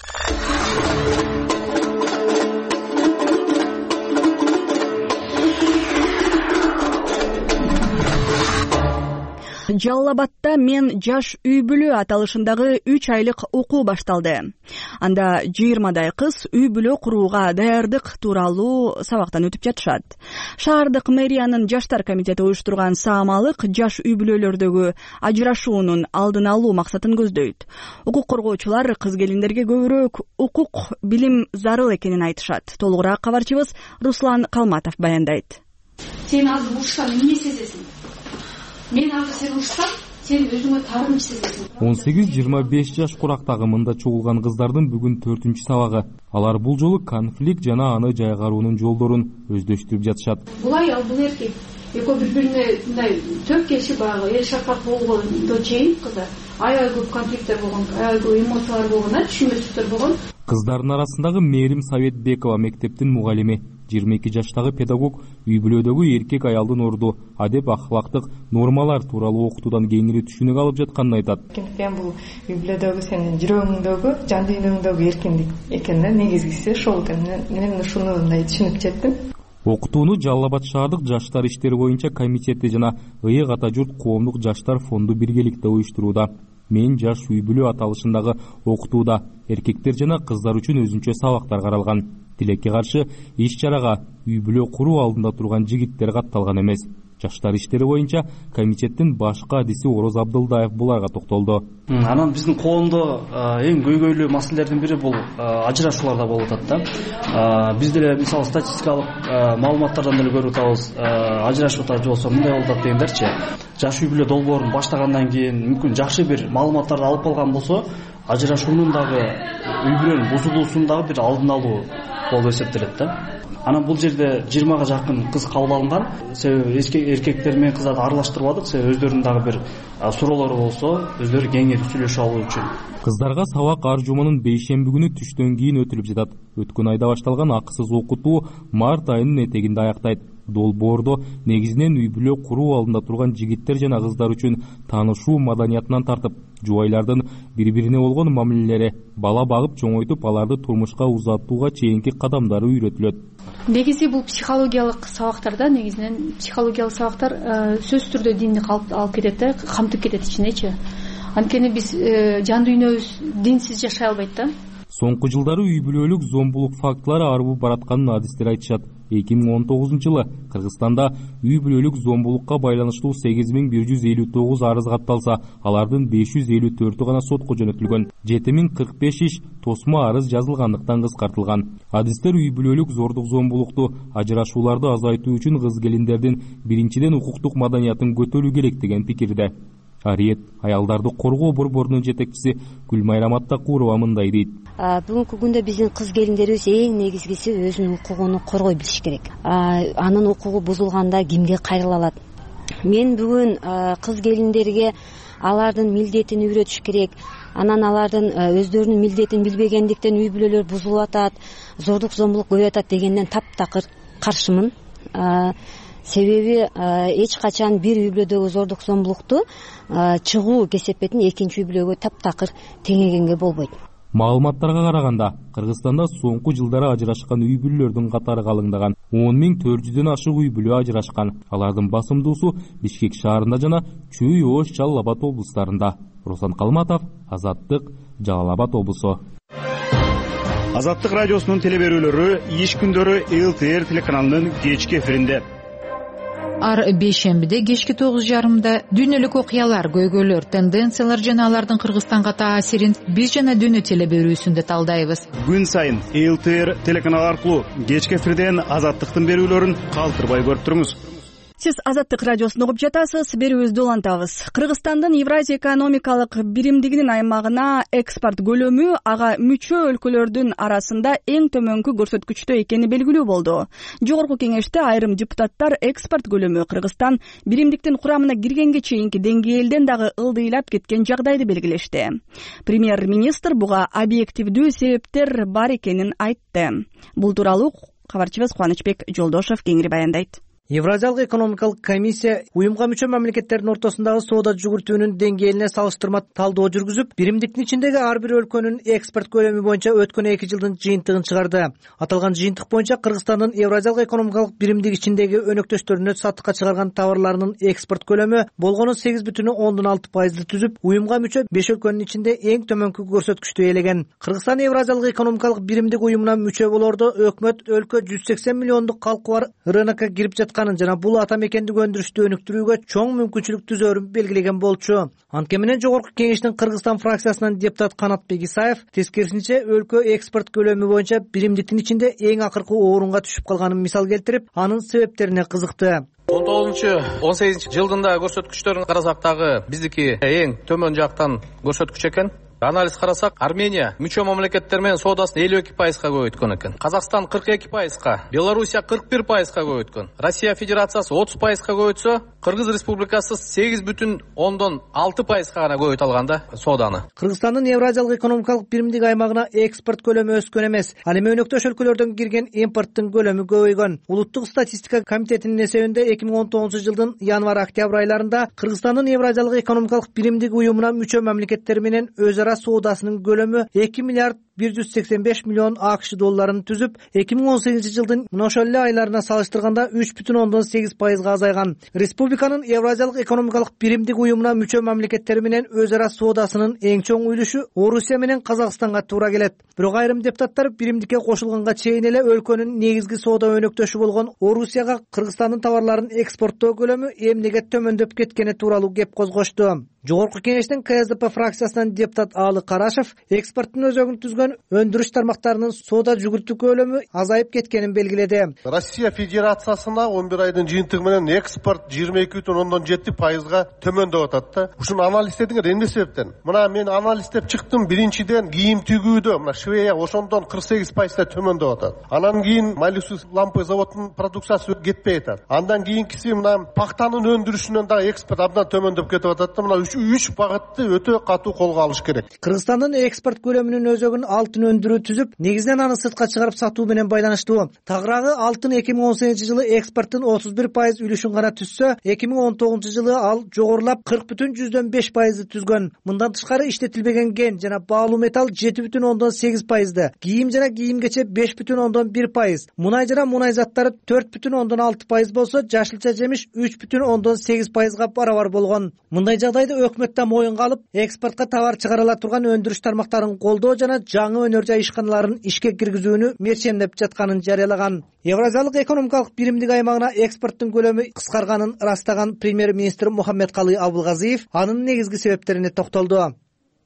S1: Жалал Абадта «Мен жаш үй бүлө» аталышындагы үч айлык окуу башталды. Анда жыйырмадай кыз үй бүлө курууга даярдык тууралуу сабактан өтүп жатышат. Шаардык мэриянын жаштар комитети уюштурган саамалык жаш үй бүлөлөрдөгү ажырашуунун алдын алуу максатын көздөйт. Укук коргоочулар кыз келиндерге көбүрөөк укук билим зарыл экенин айтышат. Толугураак кабарчыбыз Руслан Калматов баяндайт.
S16: Сен азыр урушсаң эмне сезесиң? Мен азыр сени урушсам, сен өзүңө таарым сезесиң.
S17: он сегиз жыйырма беш жаш курактагы мында чогулган кыздардын бүгүн төртүнчү сабагы. Алар бул жолу конфликт жана аны жайгаруунун жолдорун өздөштүрүп жатышат.
S16: Бул аял, бул эркек экөө бири бирине мындай төп келишип баягы эл шарпак болгондо чейин кыздар аябай көп конфликттер болгон, аябай көп эмоциялар болгон, түшүнбөстүктөр болгон.
S17: Кыздардын арасындагы Мээрим Советбекова мектептин мугалими, жыйырма эки жаштагы педагог үй бүлөдөгү эркек аялдын орду, адеп ахлактык нормалар тууралуу окутуудан кеңири түшүнүк алып жатканын айтат.
S18: Мен бул үй бүлөдөгү сенин жүрөгүңдөгү, жан дүйнөңдөгү эркиндик экен да, негизгиси ошол экен. Мен ушуну мындай түшүнүп жеттим.
S17: Окутууну Жалал Абад шаардык жаштар иштери боюнча комитети жана Ыйык ата журт коомдук жаштар фонду биргеликте уюштурууда. Мен жаш үй бүлө аталышындагы окутууда эркектер жана кыздар үчүн өзүнчө сабактар каралган. Тилекке каршы иш чарага үй бүлө куруу алдында турган жигиттер катталган эмес. Жаштар иштери боюнча комитеттин башкы адиси Ороз Абдылдаев буларга токтолду.
S19: Анан биздин коомдо эң көйгөйлүү маселелердин бири бул ажырашууларда болуп атат да. Биз деле мисалы статистикалык маалыматтардан деле көрүп атабыз, ажырашып атат же болбосо мындай болуп атат дегендерчи. Жаш үй бүлө долбоорун баштагандан кийин мүмкүн жакшы бир маалыматтарды алып калган болсо, ажырашуунун дагы үй бүлөнүн бузулуусунун дагы бир алдын алуу болуп эсептелет да. Анан бул жерде жыйырмага жакын кыз кабыл алынган. Себеби эркектер менен кыздарды аралаштырбадык, себеби өздөрүнүн дагы бир суроолору болсо, өздөрү кеңири сүйлөшүп алуу үчүн.
S17: Кыздарга сабак ар жуманын бейшемби күнү түштөн кийин өтүлүп жатат. Өткөн айда башталган акысыз окутуу март айынын этегинде аяктайт. Долбоордо негизинен үй бүлө куруу алдында турган жигиттер жана кыздар үчүн таанышуу маданиятынан тартып, жубайлардын бири-бирине болгон мамилелери, бала багып чоңойтуп, аларды турмушка узатууга чейинки кадамдары үйрөтүлөт.
S16: Негизи бул психологиялык сабактарда, негизинен психологиялык сабактар сөзсүз түрдө динди алып кетет да, камтып кетет ичинечи. Анткени биз жан дүйнөбүз динсиз жашай албайт да.
S17: Соңку жылдары үй бүлөлүк зомбулук фактылары арбып баратканын адистер айтышат. эки миң он тогузунчу жылы Кыргызстанда үй бүлөлүк зомбулукка байланыштуу сегиз миң бир жүз элүү тогуз арыз катталса, алардын беш жүз элүү төртү гана сотко жөнөтүлгөн. жети миң кырк беш иш тосмо арыз жазылгандыктан кыскартылган. Адистер үй бүлөлүк зордук зомбулукту, ажырашууларды азайтуу үчүн кыз келиндердин биринчиден укуктук маданиятын көтөрүү керек деген пикирде. Ариет аялдарды коргоо борборунун жетекчиси Гүлмайрам Аттакурова мындай дейт.
S20: Бүгүнкү күндө биздин кыз келиндерибиз эң негизгиси өзүнүн укугун коргой билиш керек. Анын укугу бузулганда кимге кайрыла алат? Мен бүгүн кыз келиндерге алардын милдетин үйрөтүш керек. Анан алардын өздөрүнүн милдетин билбегендиктен үй бүлөлөр бузулуп атат, зордук зомбулук көбөйүп атат дегенден таптакыр каршымын. Себеби эч качан бир үй бүлөдөгү зордук зомбулукту чыгуу кесепетин экинчи үй бүлөгө таптакыр теңегенге болбойт.
S17: Маалыматтарга караганда, Кыргызстанда соңку жылдары ажырашкан үй бүлөлөрдүн катары калыңдаган. он миң төрт жүздөн ашык үй бүлө ажырашкан. Алардын басымдуусу Бишкек шаарында жана Чүй, Ош, Жалал Абад облустарында. Руслан Калматов, Азаттык, Жалал Абад облусу.
S14: Азаттык радиосунун телеберүүлөрү иш күндөрү эл ти эр телеканалынын кечки эфиринде.
S21: Ар бейшембиде кечки тогуз жарымда дүйнөлүк окуялар, көйгөйлөр, тенденциялар жана алардын Кыргызстанга таасирин биз жана дүйнө телеберүүсүндө талдайбыз.
S14: Күн сайын эл ти эр телеканалы аркылуу кечки эфирден Азаттыктын берүүлөрүн калтырбай көрүп туруңуз.
S1: Сиз Азаттык радиосун угуп жатасыз, берүүбүздү улантабыз. Кыргызстандын Евразия экономикалык биримдигинин аймагына экспорт көлөмү ага мүчө өлкөлөрдүн арасында эң төмөнкү көрсөткүчтө экени белгилүү болду. Жогорку кеңеште айрым депутаттар экспорт көлөмү Кыргызстан биримдиктин курамына киргенге чейинки деңгээлден дагы ылдыйлап кеткен жагдайды белгилешти. Премьер-министр буга объективдүү себептер бар экенин айтты. Бул тууралуу кабарчыбыз Кубанычбек Жолдошов кеңири баяндайт.
S22: Евразиялык экономикалык комиссия уюмга мүчө мамлекеттердин ортосундагы соода жүгүртүүнүн деңгээлине салыштырма талдоо жүргүзүп, биримдиктин ичиндеги ар бир өлкөнүн экспорт көлөмү боюнча өткөн эки жылдын жыйынтыгын чыгарды. Аталган жыйынтык боюнча Кыргызстандын Евразиялык экономикалык биримдик ичиндеги өнөктөштөрүнө сатыкка чыгарган товарларынын экспорт көлөмү болгону сегиз бүтүн ондон алты пайызды түзүп, уюмга мүчө беш өлкөнүн ичинде эң төмөнкү көрсөткүчтү ээлеген. Кыргызстан Евразиялык экономикалык биримдик уюмуна мүчө болоордо өкмөт өлкө жүз сексен миллиондук калкы бар рынокко кирип жана бул ата мекендик өндүрүштү өнүктүрүүгө чоң мүмкүнчүлүк түзөрүн белгилеген болчу. Анткени менен Жогорку кеңештин Кыргызстан фракциясынан депутат Канатбек Исаев тескерисинче өлкө экспорт көлөмү боюнча биримдиктин ичинде эң акыркы орунга түшүп калганын мисал келтирип, анын себептерине кызыкты.
S4: он тогузунчу он сегизинчи жылдын көрсөткүчтөрүн карасак дагы биздики эң төмөн жактан көрсөткүч экен. Анализ карасак, Армения мүчө мамлекеттер менен соодасын элүү эки пайызга көбөйткөн экен. Казакстан кырк эки пайызга, Белоруссия кырк бир пайызга көбөйткөн. Россия Федерациясы отуз пайызга көбөйтсө, Кыргыз Республикасы сегиз бүтүн ондон алты пайызга гана көбөйтө алган да сооданы.
S22: Кыргызстандын Евразиялык экономикалык биримдик аймагына экспорт көлөмү өскөн эмес. Ал эми өнөктөш өлкөлөрдөн кирген импорттун көлөмү көбөйгөн. Улуттук статистика комитетинин эсебинде эки миң он тогузунчу жылдын январь-октябрь айларында Кыргызстандын Евразиялык экономикалык биримдик уюмуна мүчө мамлекеттер менен өз ара соодасынын көлөмү эки миллиард бир жүз сексен беш миллион АКШ долларын түзүп, эки миң он сегизинчи жылдын мына ошол эле айларына салыштырганда үч бүтүн ондон сегиз пайызга азайган. Республиканын Евразиялык экономикалык биримдик уюмуна мүчө мамлекеттер менен өз ара соодасынын эң чоң үлүшү Орусия менен Казакстанга туура келет. Бирок айрым депутаттар биримдикке кошулганга чейин эле өлкөнүн негизги соода өнөктөшү болгон Орусияга Кыргызстандын товарларын экспорттоо көлөмү эмнеге төмөндөп кеткени тууралуу кеп козгошту. Жогорку кеңештин КСДП фракциясынан депутат Аалы Карашев экспорттун өзөгүн түзгөн өндүрүш тармактарынын соода жүгүртүү көлөмү азайып кеткенин белгиледи.
S5: Россия Федерациясына он бир айдын жыйынтыгы менен экспорт жыйырма эки бүтүн ондон жети пайызга төмөндөп атат да. Ушуну анализдедиңер эмне себептен? Мына мен анализдеп чыктым. Биринчиден кийим тигүүдө мына Швея ошондон кырк сегиз пайызга төмөндөп атат. Анан кийин Малюсус лампы заводунун продукциясы кетпей атат. Андан кийинкиси мына пактанын өндүрүшүнөн дагы экспорт абдан төмөндөп кетип атат да. Мына үч багытты өтө катуу колго алыш керек.
S22: Кыргызстандын экспорт көлөмүнүн өзөгүн алтын өндүрүү түзүп, негизинен аны сыртка чыгарып сатуу менен байланыштуу. Тагыраагы алтын эки миң он сегизинчи жылы экспорттун отуз бир пайыз үлүшүн гана түзсө, эки миң он тогузунчу жылы ал жогорулап кырк бүтүн жүздөн беш пайызды түзгөн. Мындан тышкары иштетилбеген кен жана баалуу металл жети бүтүн ондон сегиз пайызды, кийим жана кийим-кече беш бүтүн ондон бир пайыз, мунай жана мунай заттары төрт бүтүн ондон алты пайыз болсо, жашылча жемиш үч бүтүн ондон сегиз пайызга барабар болгон. Мындай жагдайды өкмөт да моюнга алып, экспортко товар чыгарыла турган өндүрүш тармактарын колдоо жана жаңы өнөр жай ишканаларын ишке киргизүүнү мерчемдеп жатканын жарыялаган. Евразиялык экономикалык биримдик аймагына экспорттун көлөмү кыскарганын ырастаган премьер-министр Мухаммедкалый Абылгазиев анын негизги себептерине токтолду.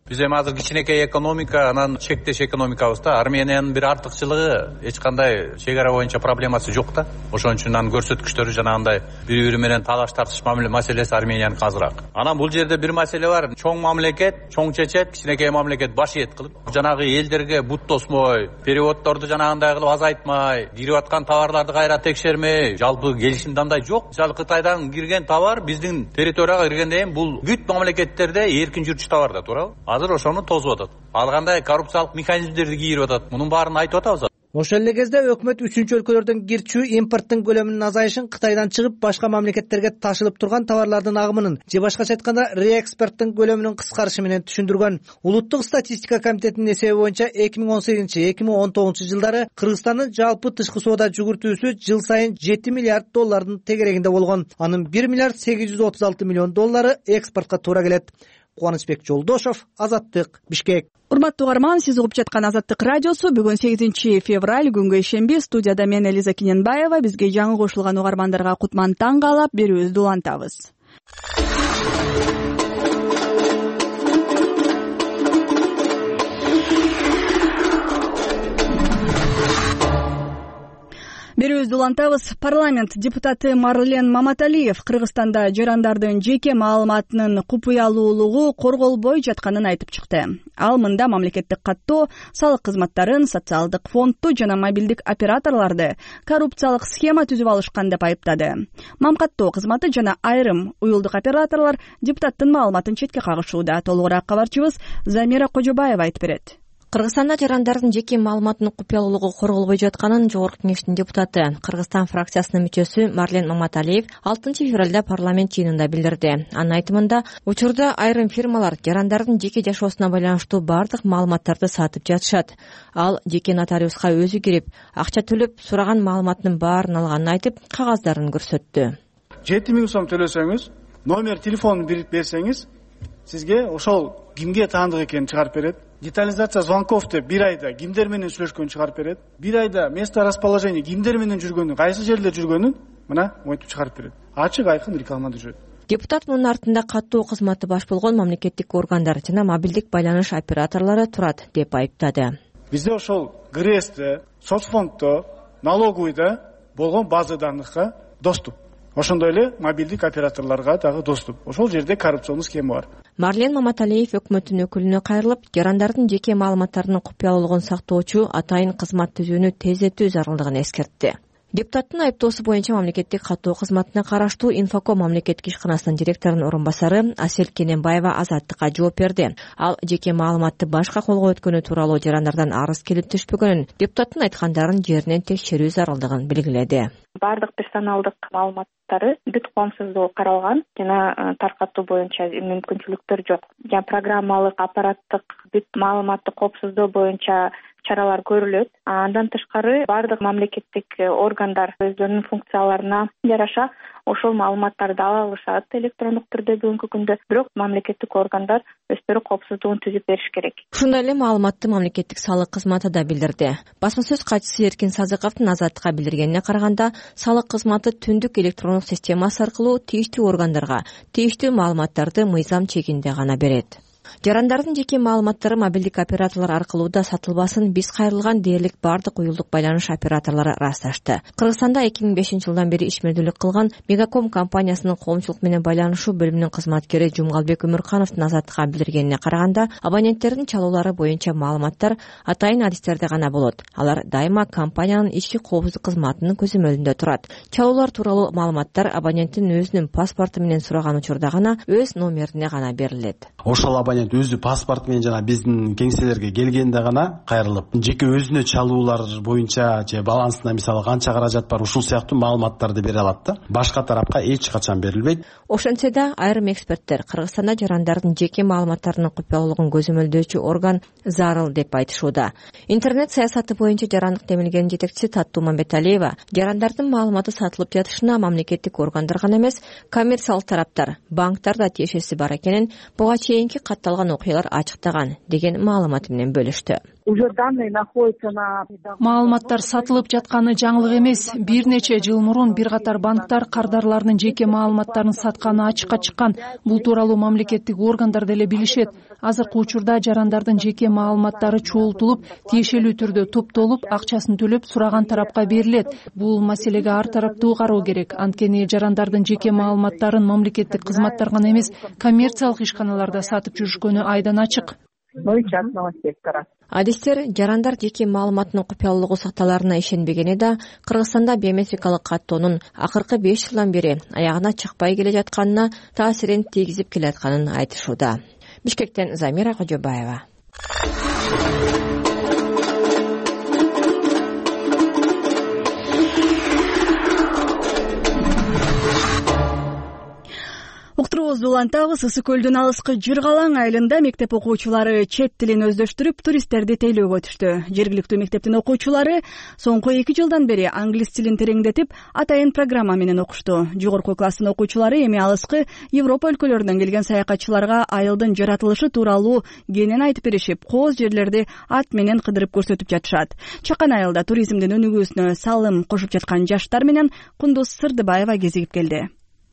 S23: Биз эми азыр кичинекей экономика, анан чектеш экономикабызда Армениянын бир артыкчылыгы эч кандай чек ара боюнча проблемасы жок да. Ошон үчүн анын көрсөткүчтөрү жанагындай бири-бири менен талаш тартыш маселеси Арменияныкы азыраак. Анан бул жерде бир маселе бар. Чоң мамлекет чоң чечет, кичинекей мамлекет баш ийет кылып, жанагы элдерге бут тосмой, переводдорду жанагындай кылып азайтмай, кирип аткан товарларды кайра текшермей, жалпы келишимде андай жок. Мисалы Кытайдан кирген товар биздин территорияга киргенден кийин бул бүт мамлекеттерде эркин жүрчү товар да, туурабы? Азыр ошону тосуп атат. Ал кандай коррупциялык механизмдерди кийирип атат. Мунун баарын айтып атабыз.
S22: Ошол эле кезде өкмөт үчүнчү өлкөлөрдөн кирчүү импорттун көлөмүнүн азайышын, Кытайдан чыгып башка мамлекеттерге ташылып турган товарлардын агымынын же башкача айтканда реэкспорттун көлөмүнүн кыскарышы менен түшүндүргөн. Улуттук статистика комитетинин эсеби боюнча эки миң он сегизинчи эки миң он тогузунчу жылдары Кыргызстандын жалпы тышкы соода жүгүртүүсү жыл сайын жети миллиард доллардын тегерегинде болгон. Анын бир миллиард сегиз жүз отуз алты миллион доллары экспортко туура келет. Кубанычбек Жолдошов, Азаттык, Бишкек.
S1: Урматтуу угарман, сиз угуп жаткан Азаттык радиосу. Бүгүн сегизинчи февраль, күнгө ишемби. Студияда мен Элиза Кененбаева. Бизге жаңы кошулган угармандарга кутман таң каалап берүүбүздү улантабыз. Берүүбүздү улантабыз. Парламент депутаты Марлен Маматалиев Кыргызстанда жарандардын жеке маалыматынын купуялуулугу корголбой жатканын айтып чыкты. Ал мында мамлекеттик каттоо, салык кызматтарын, социалдык фондду жана мобилдик операторлорду коррупциялык схема түзүп алышкан деп айыптады. Мамкаттоо кызматы жана айрым уюлдук операторлор депутаттын маалыматын четке кагышууда. Толугураак кабарчыбыз Замира Кожобаева айтып берет.
S7: Кыргызстанда жарандардын жеке маалыматынын купуялуулугу корголбой жатканын Жогорку кеңештин депутаты, Кыргызстан фракциясынын мүчөсү Марлен Маматалиев алтынчы февралда парламент жыйынында билдирди. Анын айтымында, учурда айрым фирмалар жарандардын жеке жашоосуна байланыштуу бардык маалыматтарды сатып жатышат. Ал жеке нотариуска өзү кирип, акча төлөп, сураган маалыматынын баарын алганын айтып, кагаздарын көрсөттү.
S24: жети миң сом төлөсөңүз, номер телефонун берсеңиз, сизге ошол кимге таандык экенин чыгарып берет. Детализация звонков деп бир айда кимдер менен сүйлөшкөнүн чыгарып берет. Бир айда место расположения кимдер менен жүргөнүн, кайсы жерде жүргөнүн мына монтип чыгарып берет. Ачык айкын реклама жүрөт.
S7: Депутат мунун артында каттоо кызматы баш болгон мамлекеттик органдар жана мобилдик байланыш операторлору турат деп айыптады.
S24: Бизде ошол ГРЭСте, соцфонддо, налоговыйда болгон база данныхка доступ. ошондой эле мобилдик операторлорго дагы доступ. Ошол жерде коррупционный схема бар.
S7: Марлен Маматалиев өкмөттүн өкүлүнө кайрылып, жарандардын жеке маалыматтарынын купуялуулугун сактоочу атайын кызмат түзүүнү тездетүү зарылдыгын эскертти. Депутаттын айыптоосу боюнча мамлекеттик каттоо кызматына караштуу Инфоком мамлекеттик ишканасынын директорунун орун басары Асель Кененбаева Азаттыкка жооп берди. Ал жеке маалыматты башка колго өткөнү тууралуу жарандардан арыз келип түшпөгөнүн, депутаттын айткандарын жеринен текшерүү зарылдыгын белгиледи.
S2: Бардык персоналдык маалыматтары бүт коомсуздугу каралган жана таркатуу боюнча мүмкүнчүлүктөр жок. Жана программалык, аппараттык бүт маалыматты коопсуздоо боюнча чаралар көрүлөт. Андан тышкары бардык мамлекеттик органдар өздөрүнүн функцияларына жараша ошол маалыматтарды ала алышат электрондук түрдө бүгүнкү күндө. Бирок мамлекеттик органдар өздөрү коопсуздугун түзүп бериш керек.
S7: Ушундай эле маалыматты мамлекеттик салык кызматы да билдирди. Басма сөз катчысы Эркин Сазыковдун Азаттыкка билдиргенине караганда, салык кызматы түндүк электрондук системасы аркылуу тийиштүү органдарга тийиштүү маалыматтарды мыйзам чегинде гана берет. Жарандардын жеке маалыматтары мобилдик операторлор аркылуу да сатылбасын биз кайрылган дээрлик бардык уюлдук байланыш операторлору ырасташты. Кыргызстанда эки миң бешинчи жылдан бери ишмердүүлүк кылган Мегаком компаниясынын коомчулук менен байланышуу бөлүмүнүн кызматкери Жумгалбек Өмүркановдун Азаттыкка билдиргенине караганда, абоненттердин чалуулары боюнча маалыматтар атайын адистерде гана болот. Алар дайыма компаниянын ички коопсуздук кызматынын көзөмөлүндө турат. Чалуулар тууралуу маалыматтар абоненттин өзүнүн паспорту менен сураган учурда гана өз номерине гана берилет.
S6: Ошол абонент өзү паспорт менен жана биздин кеңселерге келгенде гана кайрылып, жеке өзүнө чалуулар боюнча же балансында мисалы канча каражат бар, ушул сыяктуу маалыматтарды бере алат да. Башка тарапка эч качан берилбейт.
S7: Ошентсе да айрым эксперттер Кыргызстанда жарандардын жеке маалыматтарынын купуялуулугун көзөмөлдөөчү орган зарыл деп айтышууда. Интернет саясаты боюнча жарандык демилгенин жетекчиси Таттуу Мамбеталиева жарандардын маалыматы сатылып жатышына мамлекеттик органдар гана эмес, коммерциялык тараптар, банктар да тиешеси бар экенин буга чейинки катталган окуялар ачыктаган деген маалымат менен бөлүштү.
S8: Маалыматтар сатылып жатканы жаңылык эмес. Бир нече жыл мурун бир катар банктар кардарлардын жеке маалыматтарын сатканы ачыкка чыккан. Бул тууралуу мамлекеттик органдар деле билишет. Азыркы учурда жарандардын жеке маалыматтары чогултулуп, тиешелүү түрдө топтолуп, акчасын төлөп сураган тарапка берилет. Бул маселеге ар тараптуу кароо керек. Анткени жарандардын жеке маалыматтарын мамлекеттик кызматтар гана эмес, коммерциялык ишканаларда сатып жүрүшкөнү айдан ачык.
S7: Адистер жарандар жеке маалыматынын купуялуулугу сакталарына ишенбегени да Кыргызстанда биометрикалык каттоонун акыркы беш жылдан бери аягына чыкпай келе жатканына таасирин тийгизип келатканын айтышууда. Бишкектен Замира Кожобаева.
S1: Уктуруубузду улантабыз. Ысык көлдүн алыскы Жыргалаң айылында мектеп окуучулары чет тилин өздөштүрүп, туристтерди тейлөөгө түштү. Жергиликтүү мектептин окуучулары соңку эки жылдан бери англис тилин тереңдетип, атайын программа менен окушту. Жогорку класстын окуучулары эми алыскы Европа өлкөлөрүнөн келген саякатчыларга айылдын жаратылышы тууралуу кенен айтып беришип, кооз жерлерди ат менен кыдырып көрсөтүп жатышат. Чакан айылда туризмдин өнүгүүсүнө салым кошуп жаткан жаштар менен Кундуз Сырдыбаева кезигип келди.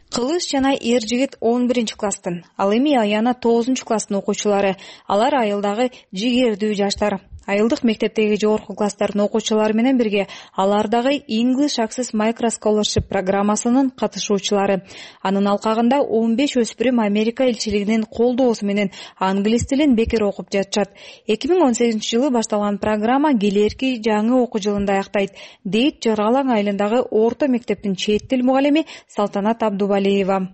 S9: Кылыш жана эр жигит он биринчи класстын, ал эми Аяна тогузунчу класстын окуучулары. Алар айылдагы жигердүү жаштар. Айылдык мектептеги жогорку класстардын окуучулары менен бирге алар дагы English Access Micro Scholarship программасынын катышуучулары. Анын алкагында он беш өспүрүм Америка элчилигинин колдоосу менен англис тилин бекер окуп жатышат. эки миң он сегизинчи жылы башталган программа келерки жаңы окуу жылында аяктайт, дейт Жыргалаң айылындагы орто мектептин чет тил мугалими Салтанат Абдубалиева.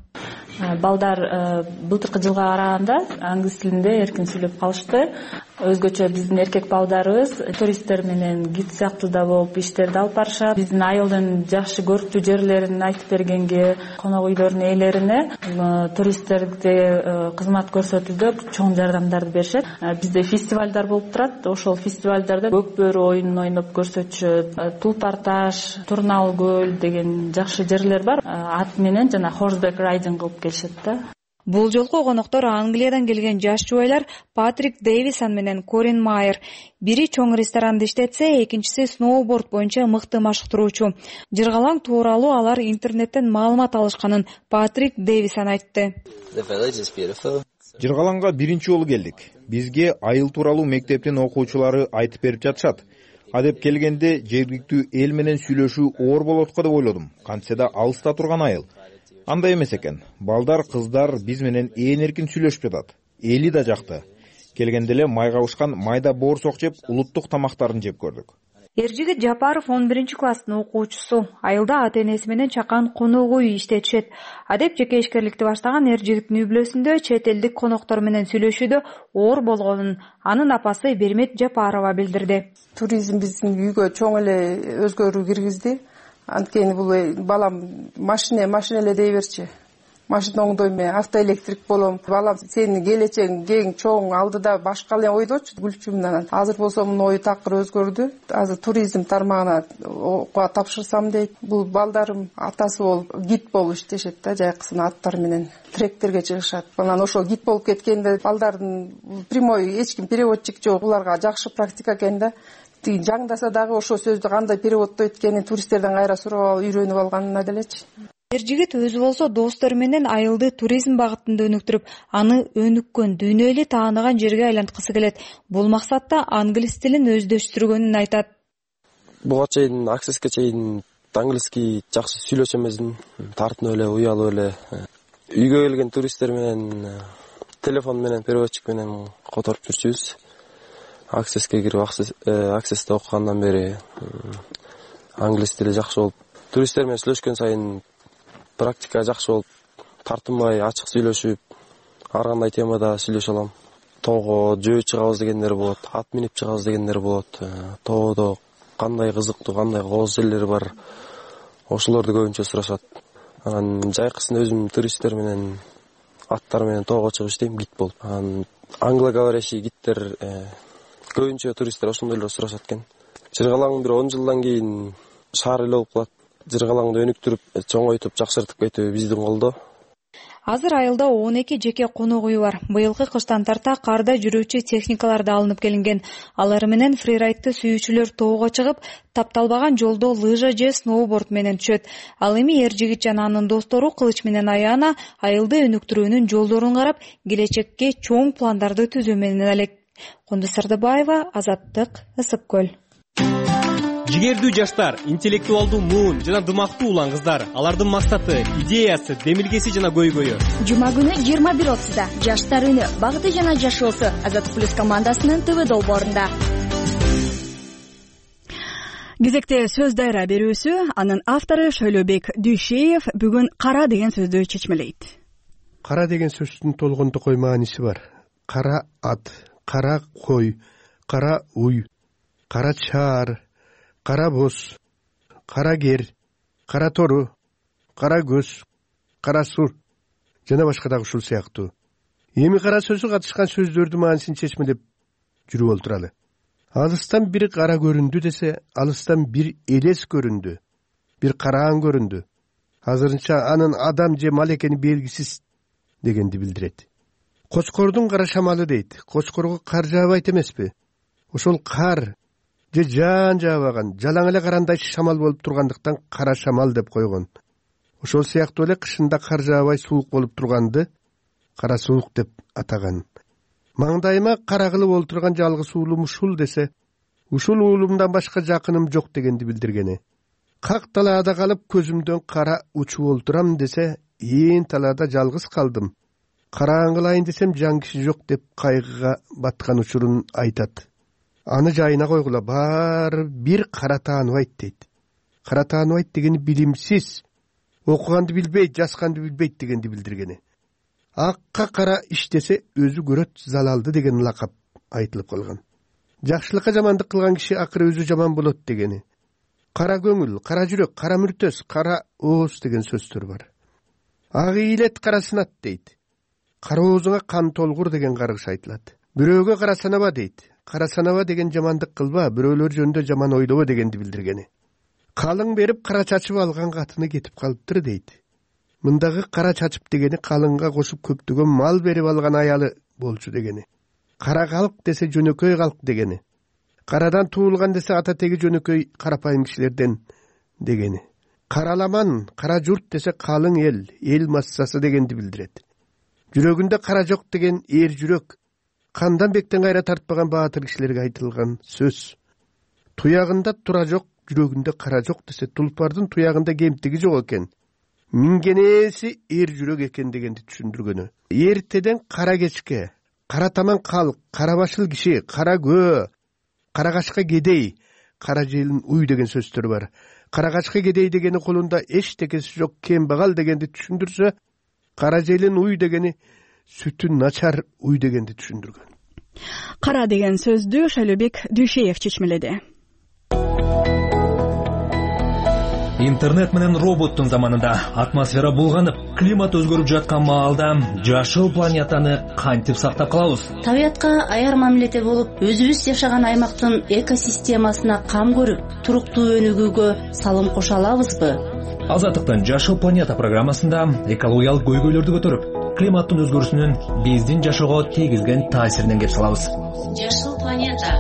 S25: Балдар былтыркы жылга караганда англис тилинде эркин сүйлөп калышты. Өзгөчө биздин эркек балдарыбыз туристтер менен гид сыяктуу да болуп иштерди алып барышат. Биздин айылдын жакшы көрктүү жерлерин айтып бергенге, конок үйлөрдүн ээлерине туристтерге кызмат көрсөтүүдө чоң жардамдарды беришет. Бизде фестивалдар болуп турат. Ошол фестивалдарда көк бөрү оюнун ойноп көрсөтүшөт. Тулпар таш, Турнал көл деген жакшы жерлер бар. Ат менен жана horseback riding кылып келишет да.
S9: Бул жолку коноктор Англиядан келген жаш жубайлар Патрик Дэвисон менен Корин Майер. Бири чоң ресторанды иштетсе, экинчиси сноуборд боюнча мыкты машыктыруучу. Жыргалаң тууралуу алар интернеттен маалымат алышканын Патрик Дэвисон айтты.
S26: Жыргалаңга биринчи жолу келдик. Бизге айыл тууралуу мектептин окуучулары айтып берип жатышат.
S3: адеп келгенде жергиликтүү эл менен сүйлөшүү оор болот го деп ойлодум. Кантсе да алыста турган айыл. Андай эмес экен. Балдар, кыздар биз менен ээн эркин сүйлөшүп жатат. Эли да жакты. Келгенде эле майга бышкан майда боорсок жеп, улуттук тамактарын жеп көрдүк.
S9: Эржигит Жапаров он биринчи класстын окуучусу. Айылда ата-энеси менен чакан конок үй иштетишет. Адеп жеке ишкерликти баштаган Эржигиттин үй-бүлөсүндө чет элдик коноктор менен сүйлөшүүдө оор болгонун анын апасы Бермет Жапарова билдирди.
S10: Туризм биздин үйгө чоң эле өзгөрүү киргизди. Анткени бул балам машина машина эле дей берчи. Машина оңдойм, автоэлектрик болом. Балам сенин келечегиң кең, чоң, алдыда башка эле ойдочу, күлчүмүн. Азыр болсо мунун ою такыр өзгөрдү. Азыр туризм тармагына окууга тапшырсам дейт. Бул балдарым атасы болуп, гид болуп иштешет да, жайкысына аттар менен тректерге чыгышат. Анан ошол гид болуп кеткенде балдардын прямой эч ким переводчик жок. Буларга жакшы практика экен да. Жаңдаса дагы ошол сөздү кандай переводдойт экенин туристтерден кайра сурап алып үйрөнүп алганына делечи.
S9: Эржигит өзү болсо достору менен айылды туризм багытында өнүктүрүп, аны өнүккөн, дүйнөлүк тааныган жерге айланткысы келет. Бул максатта англис тилин өздөштүргөнүн айтат.
S11: Буга чейин аксеске чейин англиски жакшы сүйлөшө эмесмин, тартынып эле, уялып эле. Үйгө келген туристтер менен телефон менен, переводчик менен которуп жүрчүбүз. Аксеске кирип, аксесте окугандан бери англис тили жакшы болуп, туристтер менен сүйлөшкөн сайын практика жакшы болуп, тартынбай, ачык сүйлөшүп, ар кандай темада сүйлөшө алам. Тоого жөө чыгабыз дегендер болот, ат минип чыгабыз дегендер болот. Тоодо кандай кызыктуу, кандай кооз жерлер бар, ошолорду көбүнчө сурашат. Анан жайкысын өзүм туристтер менен, аттар менен тоого чыгып иштейм, гид болуп. Анан англоговорящий гидтер көбүнчө туристтер ошондой эле сурашат экен. Жыргалаңдын бир он жылдан кийин шаар эле болуп калат. Жыргалаңды өнүктүрүп, чоңойтуп, жакшыртып кетүү биздин колдо.
S9: Азыр айылда он эки жеке конок үй бар. Быйылкы кыштан тарта карда жүрүүчү техникалар да алынып келинген. Алар менен фрирайдты сүйүүчүлөр тоого чыгып, тапталбаган жолдо лыжа же сноуборд менен түшөт. Ал эми Эржигит жана анын достору кылыч менен аяна айылды өнүктүрүүнүн жолдорун карап, келечекке чоң пландарды түзүү менен элек. Кундуз Сардыбаева, Азаттык, Ысык көл.
S12: Жигердүү жаштар, интеллектуалдуу муун жана дымактуу улан кыздар. Алардын максаты, идеясы, демилгеси жана көйгөйү.
S13: Жума күнү жыйырма бир отузда жаштар үнү, багыты жана жашоосу Азаттык плюс командасынын ТВ долбоорунда.
S1: Кезекте сөз дайра берүүсү, анын автору Шөйлөбек Дүйшеев бүгүн кара деген сөздү чечмелейт.
S5: Кара деген сөздүн толгондо кой мааниси бар. Кара ат, кара кой, кара уй, кара чаар, кара боз, кара кер, кара тору, кара көз, кара сур жана башка дагы ушул сыяктуу. Эми кара сөзү катышкан сөздөрдүн маанисин чечмелеп жүрүп олтуралы. Алыстан бир кара көрүндү десе, алыстан бир элес көрүндү, бир караан көрүндү. Азырынча анын адам же мал экени белгисиз дегенди билдирет. Кочкордун кара шамалы дейт. Кочкорго кар жаабайт эмеспи? Ошол кар же жаан жаабаган, жалаң эле карандай шамал болуп тургандыктан кара шамал деп койгон. Ошол сыяктуу эле кышында кар жаабай суук болуп турганды кара суук деп атаган. Маңдайыма кара кылып олтурган жалгыз уулум ушул десе, ушул уулумдан башка жакыным жок дегенди билдиргени. Как талаада калып көзүмдөн кара учуп олтурам десе, ээн талаада жалгыз калдым. Караан кылайын десем жан киши жок деп кайгыга баткан учурун айтат. Аны жайына койгула, баары бир кара тааныбайт дейт. Кара тааныбайт дегени билимсиз, окуганды билбейт, жазганды билбейт дегенди билдиргени. Акка кара иштесе өзү көрөт залалды деген лакап айтылып калган. Жакшылыкка жамандык кылган киши акыры өзү жаман болот дегени. Кара көңүл, кара жүрөк, кара мүртөс, кара ооз деген сөздөр бар. Ак ийилет, кара сынат дейт. Кара оозуңа кан толгур деген каргыш айтылат. Бирөөгө кара санаба дейт. Кара санаба деген жамандык кылба, бирөөлөр жөнүндө жаман ойлобо дегенди билдиргени. Калың берип кара чачып алган катыны кетип калыптыр дейт. Мындагы кара чачып дегени калыңга кошуп көптөгөн мал берип алган аялы болчу дегени. Кара калк десе жөнөкөй калк дегени. Карадан туулган десе ата теги жөнөкөй карапайым кишилерден дегени. Караламан, кара журт десе калың эл, эл массасы дегенди билдирет. Жүрөгүндө кара жок деген эр жүрөк, кандан бектен кайра тартпаган баатыр кишилерге айтылган сөз.
S15: туягында тура жок, жүрөгүндө кара жок десе, тулпардын туягында кемтиги жок экен, мингенеси эр жүрөк экен дегенди түшүндүргөнү. Эртеден кара кечке кара таман калк, кара башыл киши, кара көө, кара качка кедей, кара желин уй деген сөздөр бар. Кара качка кедей дегени колунда эчтекеси жок кембагал дегенди түшүндүрсө, кара желин уй дегени сүтү начар уй дегенди түшүндүргөн.
S1: Кара деген сөздү Шайлообек Дүйшеев чечмеледи.
S16: Интернет менен роботтун заманында атмосфера булганып, климат өзгөрүп жаткан маалда жашыл планетаны кантип сактап калабыз?
S18: Табиятка аяр мамиледе болуп, өзүбүз жашаган аймактын экосистемасына кам көрүп, туруктуу өнүгүүгө салым кошо алабызбы?
S16: Азаттыктын Жашыл планета программасында экологиялык көйгөйлөрдү көтөрүп, климаттын өзгөрүүсүнүн биздин жашоого тийгизген таасиринен кеп салабыз.
S18: Жашыл планета.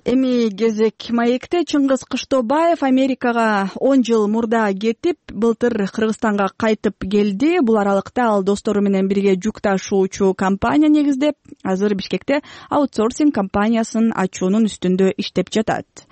S1: Эми кезек маекте. Чыңгыз Кыштобаев Америкага он жыл мурда кетип, былтыр Кыргызстанга кайтып келди. Бул аралыкта ал достору менен бирге жүк ташуучу компания негиздеп, азыр Бишкекте аутсорсинг компаниясын ачуунун үстүндө иштеп жатат.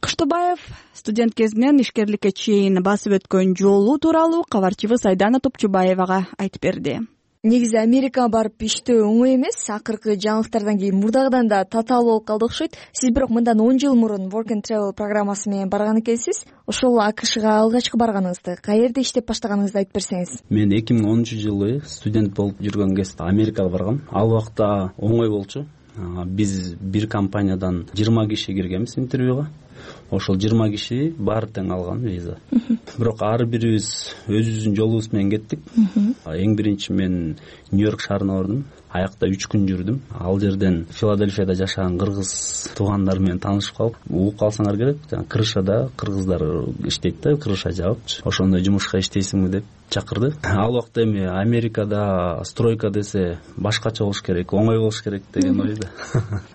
S1: Кыштобаев студент кезинен ишкерликке чейин басып өткөн жолу тууралуу кабарчыбыз Айдана Топчубаевага айтып берди.
S13: Негизи Америкага барып иштөө оңой эмес. Акыркы жаңылыктардан кийин мурдагыдан да татаал болуп калды окшойт. Сиз бирок мындан он жыл мурун Work and Travel программасы менен барган экенсиз. Ошол АКШга алгачкы барганыңызды, каерде иштеп баштаганыңызды айтып берсеңиз.
S19: Мен эки миң онунчу жылы студент болуп жүргөн кезде Америкага баргам. Ал убакта оңой болчу. Биз бир компаниядан жыйырма киши киргенбиз интервьюга. Ошол жыйырма киши баары тең алган виза. Бирок ар бирибиз өзүбүздүн жолубуз менен кеттик. Эң биринчи мен Нью-Йорк шаарына бардым. Аякта үч күн жүрдүм. Ал жерден Филадельфияда жашаган кыргыз туугандар менен таанышып калып, угуп калсаңар керек, жана крышада кыргыздар иштейт да, крыша жаап, ошондой жумушка иштейсиңби деп чакырды. Ал убакта эми Америкада стройка десе башкача болуш керек, оңой болуш керек деген ойда.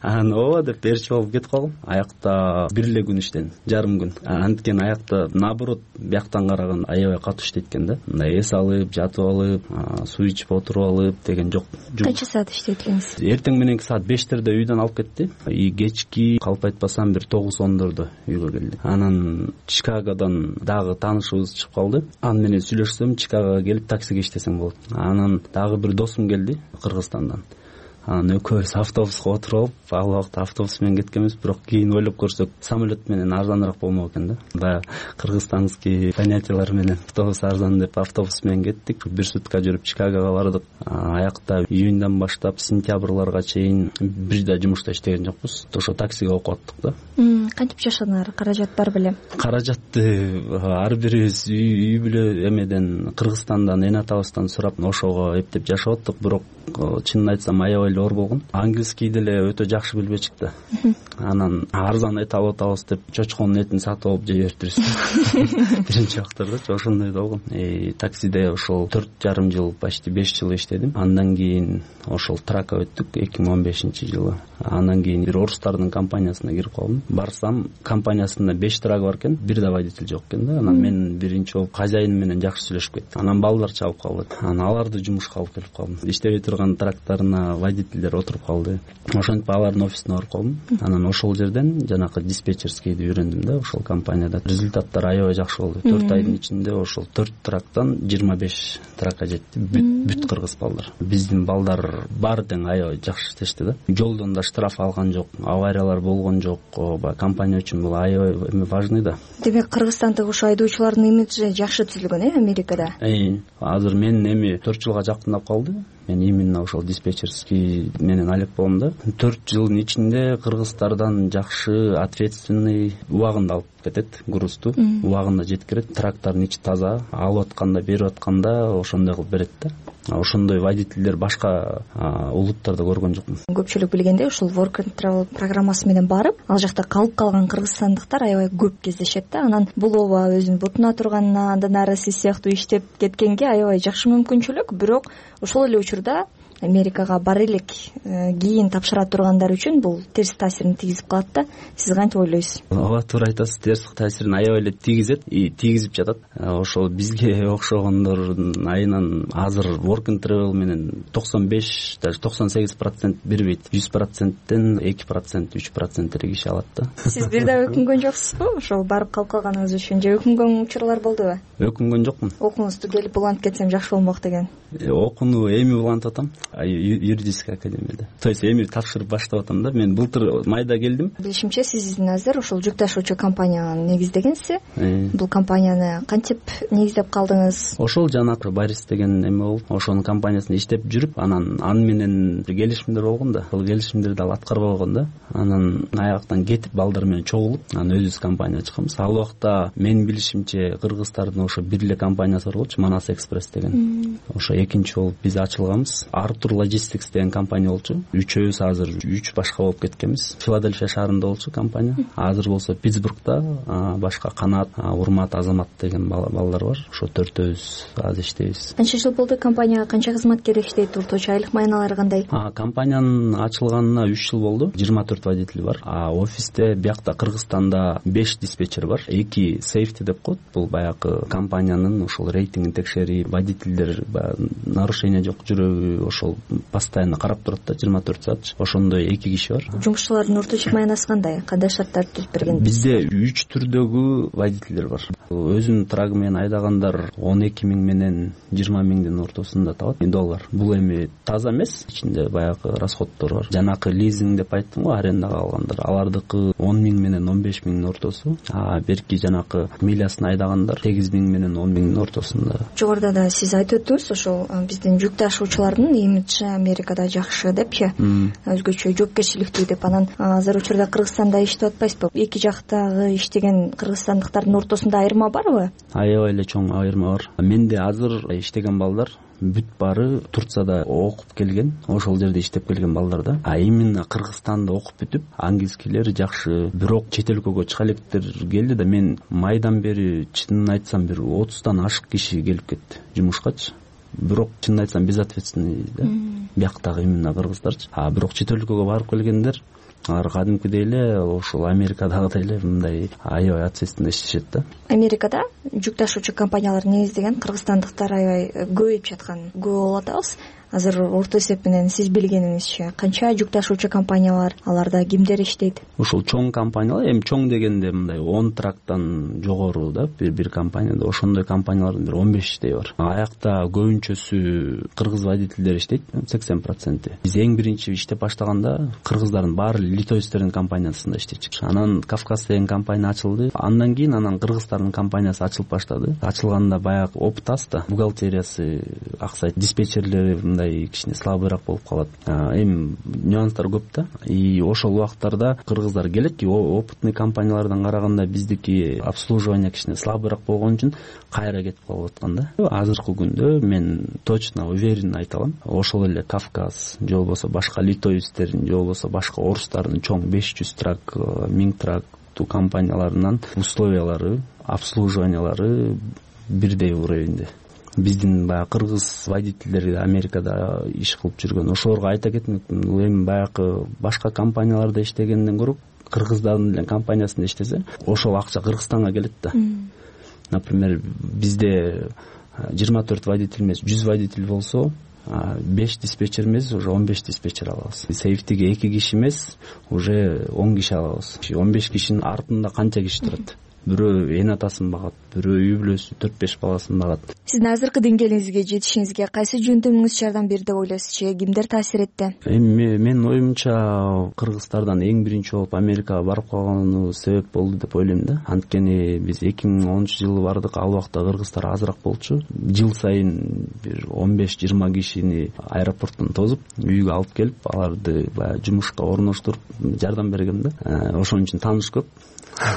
S19: Анан ооба деп берчи болуп кетип калдым. Аякта бир эле күн иштедим, жарым күн. Анткени аякта наоборот бияктан караган аябай катуу иштейт экен да. Мындай эс алып, жатып алып, суу ичип отуруп алып деген жок.
S13: Канча саат иштейт экенсиз?
S19: Эртең мененки саат бештерде үйдөн алып кетти. И кечки калп айтпасам бир тогуз ондордо үйгө келди. Анан Чикагодон дагы таанышыбыз чыгып калды. Аны менен сүйлөшсөм, Чикагога келип таксиге иштесең болот. Анан дагы бир досум келди Кыргызстандан. Анан экөөбүз автобуска отуруп алып, ал убакта автобус менен кеткенбиз, бирок кийин ойлоп көрсөк, самолет менен арзаныраак болмок экен да. Баягы кыргызстанский понятиялар менен автобус арзан деп автобус менен кеттик. Бир сутка жүрүп Чикагога бардык. Аякта июньдан баштап сентябрларга чейин бир да жумушта иштеген жокпуз. Ошо таксиге окуп аттык да.
S13: Кантип жашадыңар? Каражат бар беле?
S19: Каражатты ар бирибиз үй бүлө эмеден Кыргызстандан, эне атабыздан сурап, ошого эптеп жашап аттык, бирок чынын айтсам аябай оор болгон. Английский деле өтө жакшы билбечик да. Анан арзан эт алып атабыз деп чочконун этин сатып алып жей бериптирбиз. Биринчи вакыттарда ошондой болгон. И таксиде ошол төрт жарым жыл, почти беш жыл иштедим. Андан кийин ошол трака өттүк эки миң он бешинчи жылы. Андан кийин бир орустардын компаниясына кирип калдым. Барсам, компаниясында беш трак бар экен, бир да водитель жок экен да. Анан мен биринчи болуп хозяин менен жакшы сүйлөшүп кеттим. Анан балдар чалып калды. Анан аларды жумушка алып келип калдым. Иштебей турган трактарына водительдер отуруп калды. Ошентип алардын офисине барып калдым. Анан ошол жерден жанакы диспетчерскийди үйрөндүм да, ошол компанияда. Результаттар аябай жакшы болду. төрт айдын ичинде ошол төрт трактан жыйырма беш тракка жетти. Бүт, бүт кыргыз балдар. Биздин балдар баары тең аябай жакшы иштешти да. Жолдон да штраф алган жок, авариялар болгон жок. Компания үчүн бул аябай эми важный да.
S13: Демек Кыргызстандагы ошо айдоочулардын имиджи жакшы түзүлгөн э Америкада?
S19: Э, азыр мен эми төрт жылга жакындап калды. Мен именно ошол диспетчерский менен алек болом да. төрт жылдын ичинде кыргыздардан жакшы, ответственный, убагында алып кетет грузду, убагында жеткирет. Трактардын ичи таза, алып атканда, берип атканда ошондой кылып берет да. Ошондой водительдер башка улуттарда көргөн жокмун.
S13: Көпчүлүк билгенде ушул Work and Travel программасы менен барып, ал жакта калып калган кыргызстандыктар аябай көп кездешет да. Анан бул ооба өзүнүн бутуна турганына, андан ары сиз сыяктуу иштеп кеткенге аябай жакшы мүмкүнчүлүк, бирок ошол эле учурда Америкага бара элек кийин тапшыра тургандар үчүн бул терс таасирин тийгизип калат да. Сиз кантип ойлойсуз?
S19: Ооба, туура айтасыз. Терс таасирин аябай эле тийгизет и тийгизип жатат. Ошол бизге окшогондордун айынан азыр work and travel менен токсон беш, даже токсон сегиз процент бербейт. жүз проценттен эки процент, үч процент эле киши алат да.
S13: Сиз бир да өкүнгөн жоксузбу ошол барып калып калганыңыз үчүн, же өкүнгөн учурлар болдубу?
S19: Өкүнгөн жокмун.
S13: Окууңузду келип улантып кетсем жакшы болмок деген.
S19: Окууну эми улантып атам, юридический академияда. То есть эми тапшырып баштап атам да. Мен былтыр майда келдим.
S13: Билишимче, сиз азыр ошол жүк ташуучу компанияны негиздегенсиз. Бул компанияны кантип негиздеп калдыңыз?
S19: Ошол жанакы Барис деген эме болуп, ошонун компаниясында иштеп жүрүп, анан аны менен келишимдер болгон да. Ал келишимдерди ал аткарбай койгон да. Анан аяктан кетип, балдар менен чогулуп, анан өзүбүз компания ачканбыз. Ал убакта мен билишимче кыргыздардын ошо бир эле компаниясы бар болчу, Манас Экспресс деген. Ошо экинчи болуп биз ачылганбыз. Артур Logistics деген компания болчу. Үчөөбүз азыр үч башка болуп кеткенбиз. Филадельфия шаарында болчу компания. Азыр болсо Питтсбургда башка Канат, Урмат, Азамат деген балдар бар. Ошо төртөөбүз азыр иштейбиз.
S13: Канча жыл болду компанияга, канча кызматкер иштейт, орточо айлык майналары кандай?
S19: Компаниянын ачылганына үч жыл болду. жыйырма төрт водитель бар. А офисте биякта Кыргызстанда беш диспетчер бар. Эки сейфти деп коет. Бул баягы компаниянын ошол рейтингин текшерип, водительдер нарушение жок жүрөбү, ошол постоянно карап турат да, жыйырма төрт саат. Ошондой эки киши бар.
S13: Жумушчулардын орточо майнасы кандай? Кандай шарттарды түзүп берген?
S19: Бизде үч түрдөгү водительдер бар. Өзүнүн трагы менен айдагандар он эки миң менен жыйырма миңдин ортосунда табат доллар. Бул эми таза эмес, ичинде баягы расходдор бар. Жанакы лизинг деп айттым го, арендага алгандар. Алардыкы он миң менен он беш миңдин ортосу. А берки жанакы милясын айдагандар сегиз миң менен он миңдин ортосунда.
S13: Жогоруда да сиз айтып өттүңүз, ошол биздин жүк ташуучулардын имиджи Америкада жакшы депчи, өзгөчө жоопкерчиликтүү деп. Анан азыр учурда Кыргызстанда иштеп атпайсызбы? Эки жактагы иштеген кыргызстандыктардын ортосунда айырма барбы?
S19: Аябай эле чоң айырма бар. Менде азыр иштеген балдар бүт баары Турцияда окуп келген, ошол жерде иштеп келген балдар да. А именно Кыргызстанда окуп бүтүп, английскийлери жакшы, бирок чет өлкөгө чыга электер келди да. Мен майдан бери чынын айтсам бир отуздан ашык киши келип кетти жумушкачы. Бирок чынын айтсам безответственный да. Бияктагы именно кыргыздарчы. А бирок чет өлкөгө барып келгендер алар кадимкидей эле ошол Америкадагыдай эле мындай аябай ответственно иштешет да.
S13: Америкада жүк ташуучу компаниялар негиздеген кыргызстандыктар аябай көбөйүп жаткан көп болуп атабыз. Азыр орто эсеп менен сиз билгениңизче канча жүк ташуучу компания бар? Аларда кимдер иштейт?
S19: Ошол чоң компаниялар, эми чоң дегенде мындай он трактан жогору да, бир бир компанияда ошондой компаниялардын бир он бештей бар. Аякта көбүнчөсү кыргыз водительдер иштейт, сексен проценти. Биз эң биринчи иштеп баштаганда кыргыздардын баары литовецтердин компаниясында иштечүк. Анан Кавказ деген компания ачылды. Андан кийин анан кыргыздардын компаниясы ачылып баштады. Ачылганда баягы опыт аз да, бухгалтериясы аксайт, диспетчерлери кичине слабыйраак болуп калат. Эми нюанстар көп да. И ошол убактарда кыргыздар келет, опытный компаниялардан караганда биздики обслуживание кичине слабыйраак болгон үчүн кайра кетип калып аткан да. Азыркы күндө мен точно уверен айта алам, ошол эле Кавказ, же болбосо башка литовецтердин, же болбосо башка орустардын чоң беш жүз трак, миң трак компанияларынан условиялары, обслуживаниялары бирдей уровенде. Биздин баягы кыргыз водительдери Америкада иш кылып жүргөн. Ошолорго айта кетмек, эми баягы башка компанияларда иштегенден көрө кыргыздардын эле компаниясында иштесе, ошол акча Кыргызстанга келет да. Например, бизде жыйырма төрт водитель эмес, жүз водитель болсо, беш диспетчер эмес, уже он беш диспетчер алабыз. Сейфтиге эки киши эмес, уже он киши алабыз. он беш кишинин артында канча киши турат? Бирөө эн атасын багат, бирөө үй бүлөсү төрт беш баласын багат.
S13: Сиздин азыркы деңгээлиңизге жетишиңизге кайсы жөндөмүңүз жардам берди деп ойлойсузчу? Кимдер таасир этти?
S19: Эми менин оюмча Кыргызстардан эң биринчи болуп Америкага барып калганы себеп болду деп ойлойм да. Анткени биз эки миң онунчу жылы бардык, ал убакта кыргыздар азыраак болчу. Жыл сайын бир он беш жыйырма кишини аэропорттон тосуп, үйгө алып келип, аларды баягы жумушка орноштуруп жардам бергем да. Ошон үчүн тааныш көп.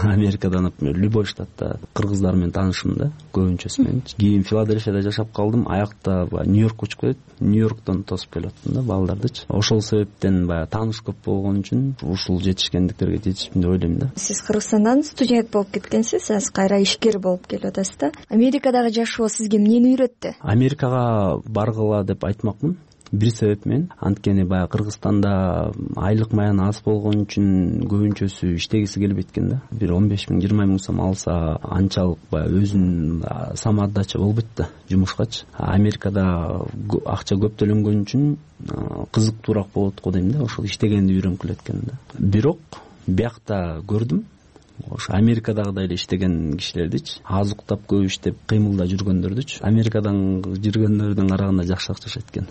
S19: Америкада, например, любой штатта кыргыздар менен таанышым да, көбүнчөсү менен. Кийин Филадельфияда жашап калдым, аякта Нью-Йоркко учуп кетет, Нью-Йорктон тосуп келип аттым да балдардычы. Ошол себептен баягы тааныш көп болгон үчүн ушул жетишкендиктерге жетиштим деп ойлойм да.
S13: Сиз Кыргызстандан студент болуп кеткенсиз, азыр кайра ишкер болуп келип атасыз да. Америкадагы жашоо сизге эмнени үйрөттү?
S19: Америкага баргыла деп айтмакмын. бир себеп менен анткени баягы Кыргызстанда айлык маян аз болгон үчүн көбүнчөсү иштегиси келбейт экен да. Бир он беш миң жыйырма миң сом алса анчалык баягы өзүнүн самоотдача болбойт да жумушкачы. Америкада акча көп төлөнгөн үчүн кызыктуураак болот го дейм да, ошол иштегенди үйрөнкүлөт экен да. Бирок биякта көрдүм ошо Америкадагыдай эле иштеген кишилердичи, аз уктап көп иштеп кыймылда жүргөндөрдүчү Америкадан жүргөндөрдүн караганда жакшыраак жашайт экен.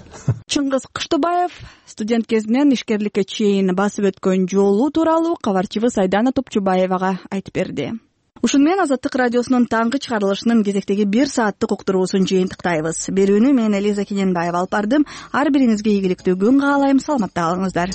S1: Чыңгыз Кыштыбаев студент кезинен ишкерликке чейин басып өткөн жолу тууралуу кабарчыбыз Айдана Топчубаевага айтып берди. Ушуну менен Азаттык радиосунун таңкы чыгарылышынын кезектеги бир сааттык уктуруусун жыйынтыктайбыз. Берүүнү мен Элиза Кененбаева алып бардым. Ар биринизге ийгиликтүү күн каалайм. Саламатта калыңыздар.